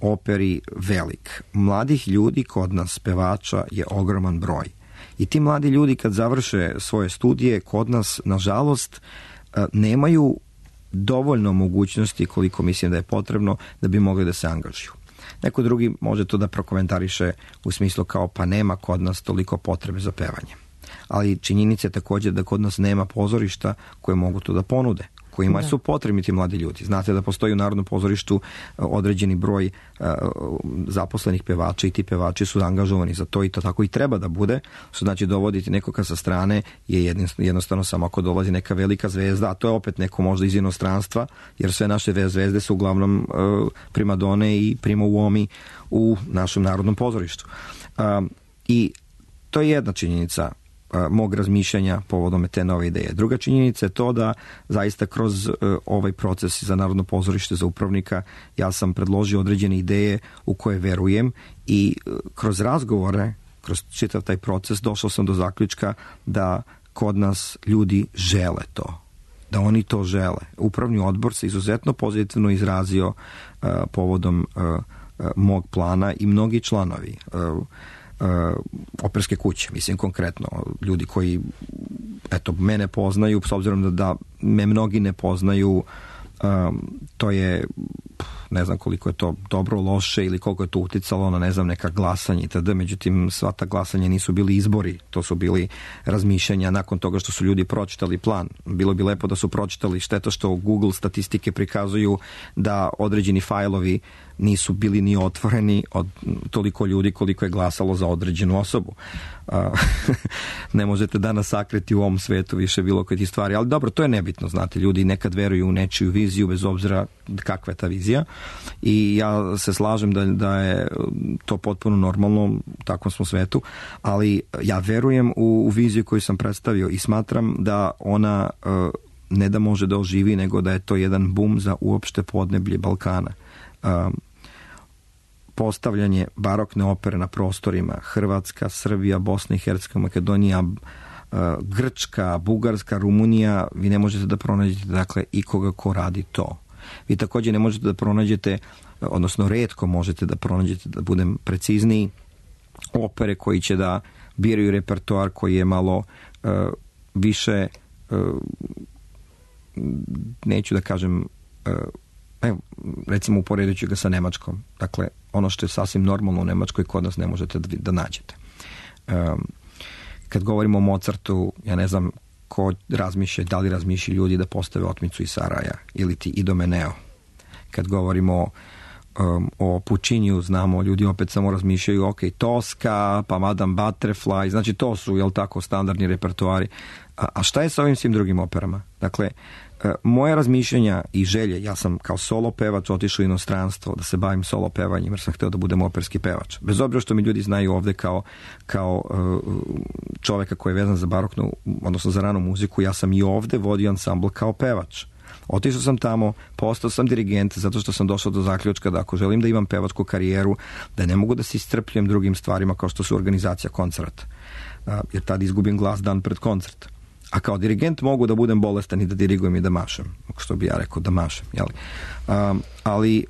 operi velik. Mladih ljudi kod nas, pevača, je ogroman broj. I ti mladi ljudi kad završe svoje studije kod nas, nažalost, nemaju dovoljno mogućnosti koliko mislim da je potrebno da bi mogli da se angažuju. Neko drugi može to da prokomentariše u smislu kao pa nema kod nas toliko potrebe za pevanje. Ali činjenica je također da kod nas nema pozorišta koje mogu to da ponude, kojima su potrebni ti mladi ljudi. Znate da postoji u Narodnom pozorištu određeni broj zaposlenih pevača i ti pevači su angažovani za to i to tako i treba da bude. Što znači dovoditi nekoga sa strane je jednostavno samo ako dolazi neka velika zvezda, a to je opet neko možda iz inostranstva, jer sve naše zvezde su uglavnom primadone i prima uomi u našem Narodnom pozorištu. I to je jedna činjenica mog razmišljanja povodom te nove ideje. Druga činjenica je to da zaista kroz ovaj proces za Narodno pozorište za upravnika ja sam predložio određene ideje u koje verujem i kroz razgovore, kroz čitav taj proces došao sam do zaključka da kod nas ljudi žele to. Da oni to žele. Upravni odbor se izuzetno pozitivno izrazio povodom mog plana i mnogi članovi operske kuće, mislim konkretno ljudi koji mene poznaju, s obzirom da me mnogi ne poznaju, to je ne znam koliko je to dobro, loše ili koliko je to uticalo na neka glasanja itd. Međutim, sva ta glasanja nisu bili izbori, to su bili razmišljanja nakon toga što su ljudi pročitali plan. Bilo bi lepo da su pročitali, šteta što Google statistike prikazuju da određeni fajlovi nisu bili ni otvoreni od toliko ljudi koliko je glasalo za određenu osobu. Ne možete danas sakriti u ovom svetu više bilo koje ti stvari, ali dobro, to je nebitno, znate, ljudi nekad veruju u nečiju viziju bez obzira kakva je ta vizija i ja se slažem da je to potpuno normalno u takvom smo svetu, ali ja verujem u viziju koju sam predstavio i smatram da ona ne da može da oživi, nego da je to jedan bum za uopšte podneblje Balkana. Postavljanje barokne opere na prostorima Hrvatska, Srbija, Bosna i Hercegovina, Makedonija, Grčka, Bugarska, Rumunija, vi ne možete da pronađete dakle ikoga ko radi to. Vi također ne možete da pronađete, odnosno retko možete da pronađete, da budem precizniji, opere koji će da biraju repertoar koji je malo više, neću da kažem, recimo uporedit ću ga sa Nemačkom. Dakle, ono što je sasvim normalno u Nemačkoj kod nas ne možete da nađete. Kad govorimo o Mozartu, ja ne znam ko razmišlja, da li razmišlja ljudi da postave Otmicu iz Saraja ili ti Idomeneo. Kad govorimo o Pucciniju, znamo, ljudi opet samo razmišljaju, ok, Tosca, pa Madame Butterfly, znači to su, jel tako, standardni repertoari. A šta je sa ovim svim drugim operama? Dakle, moje razmišljanja i želje, ja sam kao solo pevač otišao u inostranstvo da se bavim solo pevanjem jer sam hteo da budem operski pevač. Bez obzira što mi ljudi znaju ovde kao čoveka koji je vezan za baroknu, odnosno za ranu muziku, ja sam i ovde vodio ansambl kao pevač. Otišao sam tamo, postao sam dirigent zato što sam došao do zaključka da ako želim da imam pevačku karijeru, da ne mogu da se istrpljujem drugim stvarima kao što su organizacija koncerta. Jer tad izgubim glas dan pred koncert. A kao dirigent mogu da budem bolestan i da dirigujem i da mašem. Što bi ja rekao, da mašem. Jeli? Ali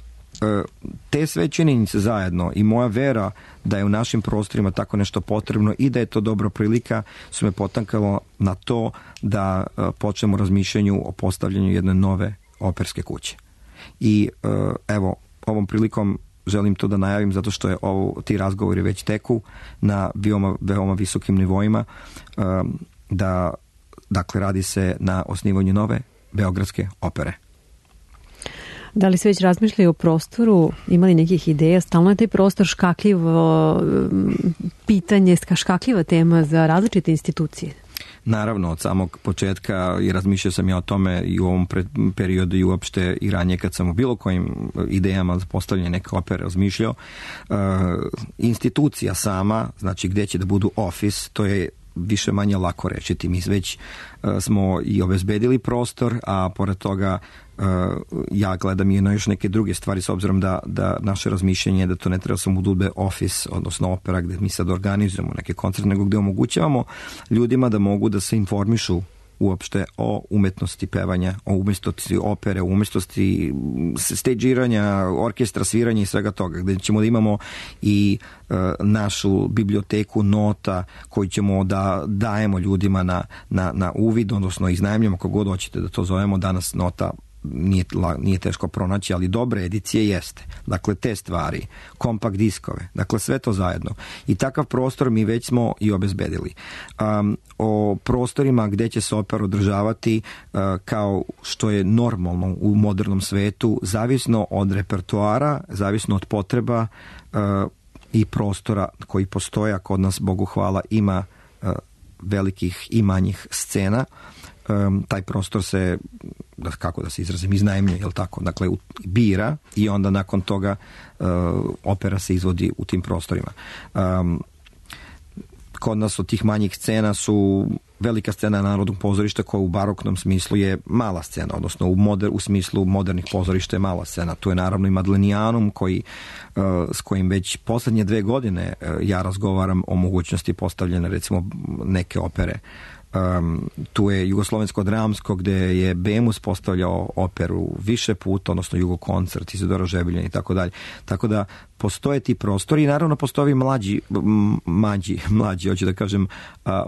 te sve činjenice zajedno i moja vera da je u našim prostorima tako nešto potrebno i da je to dobra prilika su me potaknalo na to da počnemo razmišljanju o postavljanju jedne nove operske kuće. I evo, ovom prilikom želim to da najavim zato što je ti razgovori već teku na veoma visokim nivoima, da dakle radi se na osnivanju nove beogradske opere. Da li se već razmišljaju o prostoru, imali nekih ideja? Stalno je taj prostor škakljivo pitanje, škakljiva tema za različite institucije. Naravno, od samog početka i razmišljao sam ja o tome i u ovom periodu i uopšte i ranije kad sam u bilo kojim idejama za postavljanje neke opere razmišljao. Institucija sama, znači gdje će da budu office, to je više manje lako rečiti. Mi već smo i obezbedili prostor, a pored toga ja gledam i na još neke druge stvari s obzirom da naše razmišljenje je da to ne treba samo da bude office, odnosno opera gdje mi sad organizujemo neke koncerte, nego gdje omogućavamo ljudima da mogu da se informišu uopšte o umetnosti pevanja, o umetnosti opere, o umetnosti stagiranja, orkestra, sviranja i svega toga, gdje ćemo da imamo i našu biblioteku nota koju ćemo da dajemo ljudima na uvid, odnosno iznajmljamo, kako god hoćete da to zovemo. Danas nota nije teško pronaći, ali dobre edicije jeste. Dakle, te stvari, kompakt diskove, dakle sve to zajedno. I takav prostor mi već smo i obezbedili. O prostorima gdje će se opera održavati, kao što je normalno u modernom svetu, zavisno od repertoara, zavisno od potreba i prostora koji postoje, a kod nas, Bogu hvala, ima velikih i manjih scena. Taj prostor se, kako da se izrazim, iznajmljuje, jel tako? Dakle, bira i onda nakon toga opera se izvodi u tim prostorima. Kod nas od tih manjih scena su velika scena Narodnog pozorišta koja u baroknom smislu je mala scena, odnosno u smislu modernih pozorišta je mala scena. Tu je naravno i Madlenijanum s kojim već posljednje 2 godine ja razgovaram o mogućnosti postavljene recimo neke opere. Tu je Jugoslovensko dramsko gdje je Bemus postavljao operu više puta, odnosno Jugokoncert, Izidora Žebiljan i tako dalje. Tako da postoje ti prostori i naravno postoje mlađi, hoću da kažem,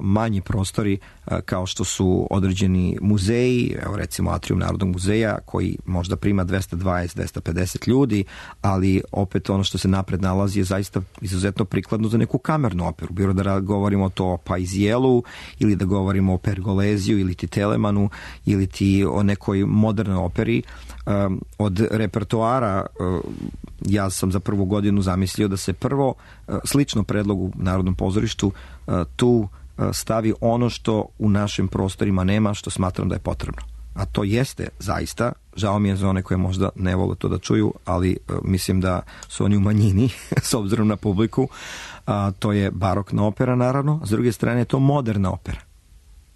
manji prostori kao što su određeni muzeji, evo recimo Atrium Narodnog muzeja koji možda prima 220-250 ljudi, ali opet ono što se napred nalazi je zaista izuzetno prikladno za neku kamernu operu. Bilo da govorimo to o Paisielu ili da govorimo o Pergoleziju ili ti Telemanu ili ti o nekoj modernoj operi. Od repertoara ja sam za prvu godinu zamislio da se prvo, slično predlogu Narodnom pozorištu, tu stavi ono što u našim prostorima nema, što smatram da je potrebno. A to jeste zaista, žao mi je za one koje možda ne vole to da čuju, ali mislim da su oni u manjini s obzirom na publiku. To je barokna opera naravno, a s druge strane je to moderna opera.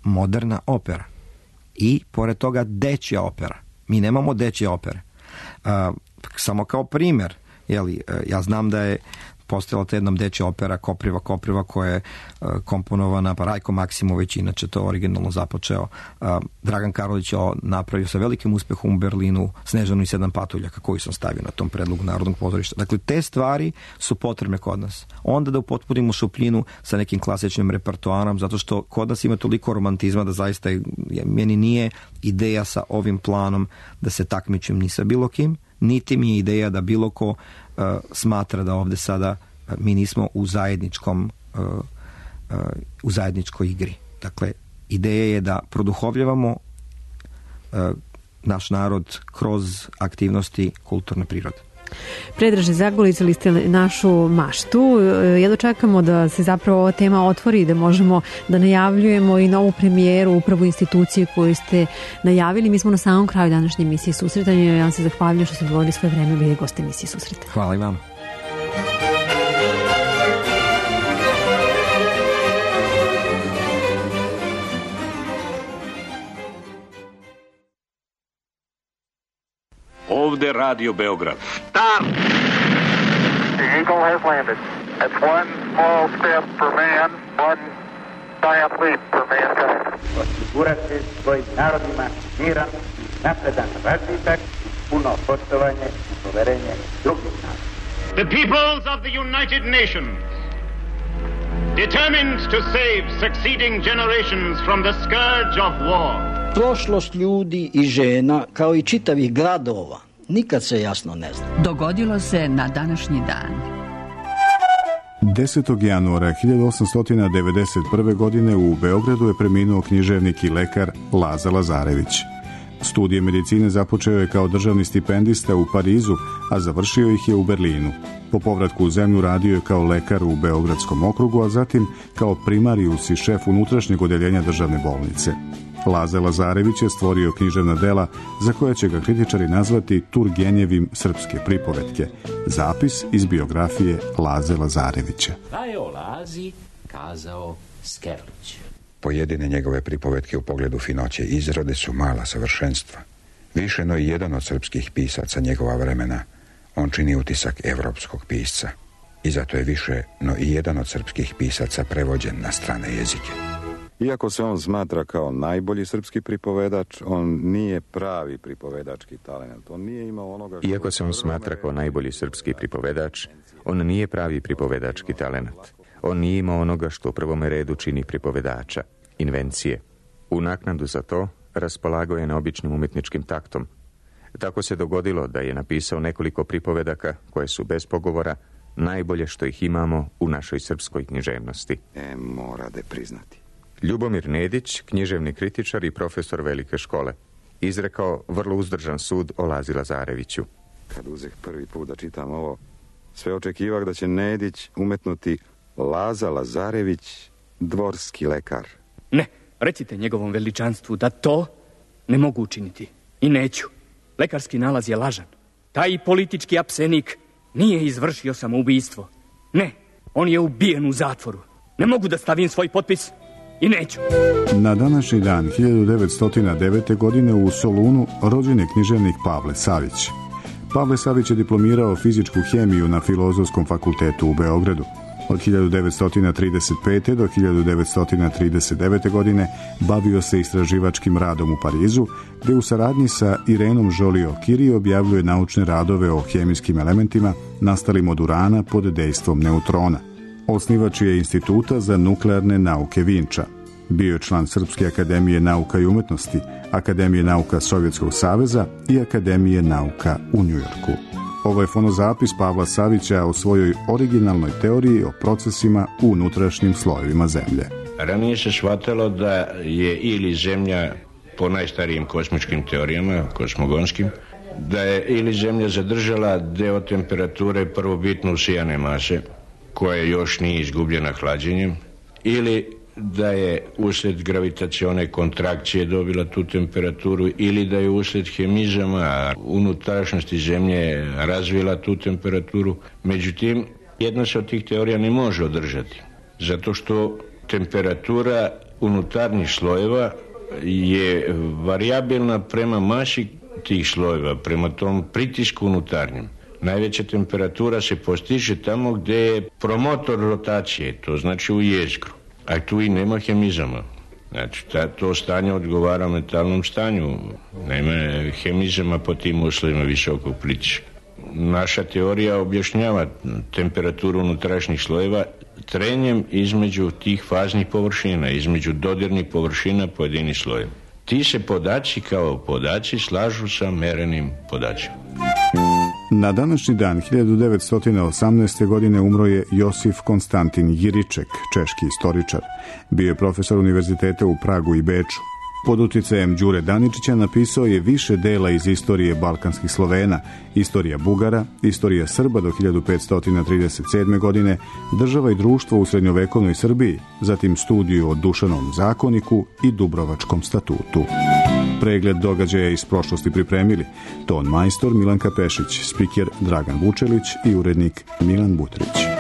Moderna opera. I pored toga dečja opera. Mi nemamo dečje opere. Samo kao primjer, ja znam da je postojala ta jednom dečja opera Kopriva koja je komponovana, pa Rajko Maksimović, inače to originalno započeo. Dragan Karolić je napravio sa velikim uspehom u Berlinu Snežanu i 7 patuljaka koju sam stavio na tom predlogu Narodnog pozorišta. Dakle, te stvari su potrebne kod nas. Onda da upotpunimo šupljinu sa nekim klasičnim repertoarom, zato što kod nas ima toliko romantizma da zaista meni nije ideja sa ovim planom da se takmičim ni sa bilo kim, niti mi je ideja da bilo ko smatra da ovdje sada mi nismo u zajedničkoj igri. Dakle, ideja je da produhovljavamo naš narod kroz aktivnosti kulturne prirode. Predraže, zagolicali ste našu maštu. Jedno čekamo da se zapravo ova tema otvori i da možemo da najavljujemo i novu premijeru upravo institucije koju ste najavili. Mi smo na samom kraju današnje emisije Susretanja. Ja vam se zahvaljujem što ste odvojili svoje vreme, bili gosti emisije Susreta. Hvala i vam. Ovde Radio Beograd. Stop! The Eagle has landed. That's one small step for man, one giant leap for mankind. Osigurati svojim narodima miran, napredan razvitak puno poštovanje i poverenje drugih naroda. The peoples of the United Nations, determined to save succeeding generations from the scourge of war. Prošlost ljudi i žena, kao i čitavih gradova, nikad se jasno ne zna. Dogodilo se na današnji dan. 10. januara 1891. godine u Beogradu je preminuo književnik i lekar Laza Lazarević. Studije medicine započeo je kao državni stipendista u Parizu, a završio ih je u Berlinu. Po povratku u zemlju radio je kao lekar u Beogradskom okrugu, a zatim kao primarius i šef unutrašnjeg odeljenja državne bolnice. Laza Lazarević je stvorio književna dela za koje će ga kritičari nazvati Turgenjevim srpske pripovetke. Zapis iz biografije Laze Lazarevića. Pa je o Lazi kazao Skerlić. Pojedine njegove pripovetke u pogledu finoće izrode su mala savršenstva. Više no i jedan od srpskih pisaca njegova vremena, on čini utisak evropskog pisca. I zato je više no i jedan od srpskih pisaca prevođen na strane jezike. Iako se on smatra kao najbolji srpski pripovedač, on nije pravi pripovedački talent. On nije imao onoga što... Iako se on smatra kao najbolji srpski pripovedač, on nije pravi pripovedački talent. On nije imao onoga što u prvome redu čini pripovedača, invencije. U naknadu za to raspolagao je neobičnim umetničkim taktom. Tako se dogodilo da je napisao nekoliko pripovedaka koje su bez pogovora najbolje što ih imamo u našoj srpskoj književnosti. Mora da priznati. Ljubomir Nedić, književni kritičar i profesor velike škole, izrekao vrlo uzdržan sud o Lazi Lazareviću. Kad uzeh prvi put da čitam ovo, sve očekivah da će Nedić umetnuti Laza Lazarević, dvorski lekar. Ne, recite njegovom veličanstvu da to ne mogu učiniti. I neću. Lekarski nalaz je lažan. Taj politički apsenik nije izvršio samoubistvo. Ne, on je ubijen u zatvoru. Ne mogu da stavim svoj potpis i neću. Na današnji dan 1909. godine u Solunu rođen je književnik Pavle Savić. Pavle Savić je diplomirao fizičku hemiju na Filozofskom fakultetu u Beogradu. Od 1935. do 1939. godine bavio se istraživačkim radom u Parizu, gde u saradnji sa Irenom Joliot-Curie objavljuje naučne radove o hemijskim elementima nastalim od urana pod dejstvom neutrona. Osnivač je Instituta za nuklearne nauke Vinča. Bio je član Srpske akademije nauka i umetnosti, Akademije nauka Sovjetskog saveza i Akademije nauka u Njujorku. Ovo je fonozapis Pavla Savića o svojoj originalnoj teoriji o procesima u unutrašnjim slojevima zemlje. Ranije se shvatalo da je ili Zemlja, po najstarijim kosmičkim teorijama, kosmogonskim, da je ili Zemlja zadržala deo temperature prvobitno usijane mase, koja još nije izgubljena hlađenjem, ili da je usled gravitacione kontrakcije dobila tu temperaturu, ili da je usled hemizama unutrašnjosti Zemlje razvila tu temperaturu. Međutim, jedna se od tih teorija ne može održati, zato što temperatura unutarnjih slojeva je varijabilna prema masi tih slojeva, prema tom pritisku unutarnjem. Najveća temperatura se postiže tamo gdje je promotor rotacije, to znači u jezgru. A tu i nema hemizama. Znači, to stanje odgovara metalnom stanju. Nema hemizama po tim uslovima visokog pritiska. Naša teorija objašnjava temperaturu unutrašnjih slojeva trenjem između tih faznih površina, između dodirnih površina pojedinih slojeva. Ti se podaci kao podaci slažu sa merenim podacima. Na današnji dan 1918. godine umro je Josif Konstantin Jiriček, češki istoričar. Bio je profesor univerziteta u Pragu i Beču. Pod uticajem Đure Daničića napisao je više dela iz istorije balkanskih Slovena, istorija Bugara, istorija Srba do 1537. godine, država i društvo u srednjovekovnoj Srbiji, zatim studiju o Dušanovom zakoniku i Dubrovačkom statutu. Pregled događaja iz prošlosti pripremili ton majstor Milanka Pešić, spiker Dragan Vučelić i urednik Milan Butrić.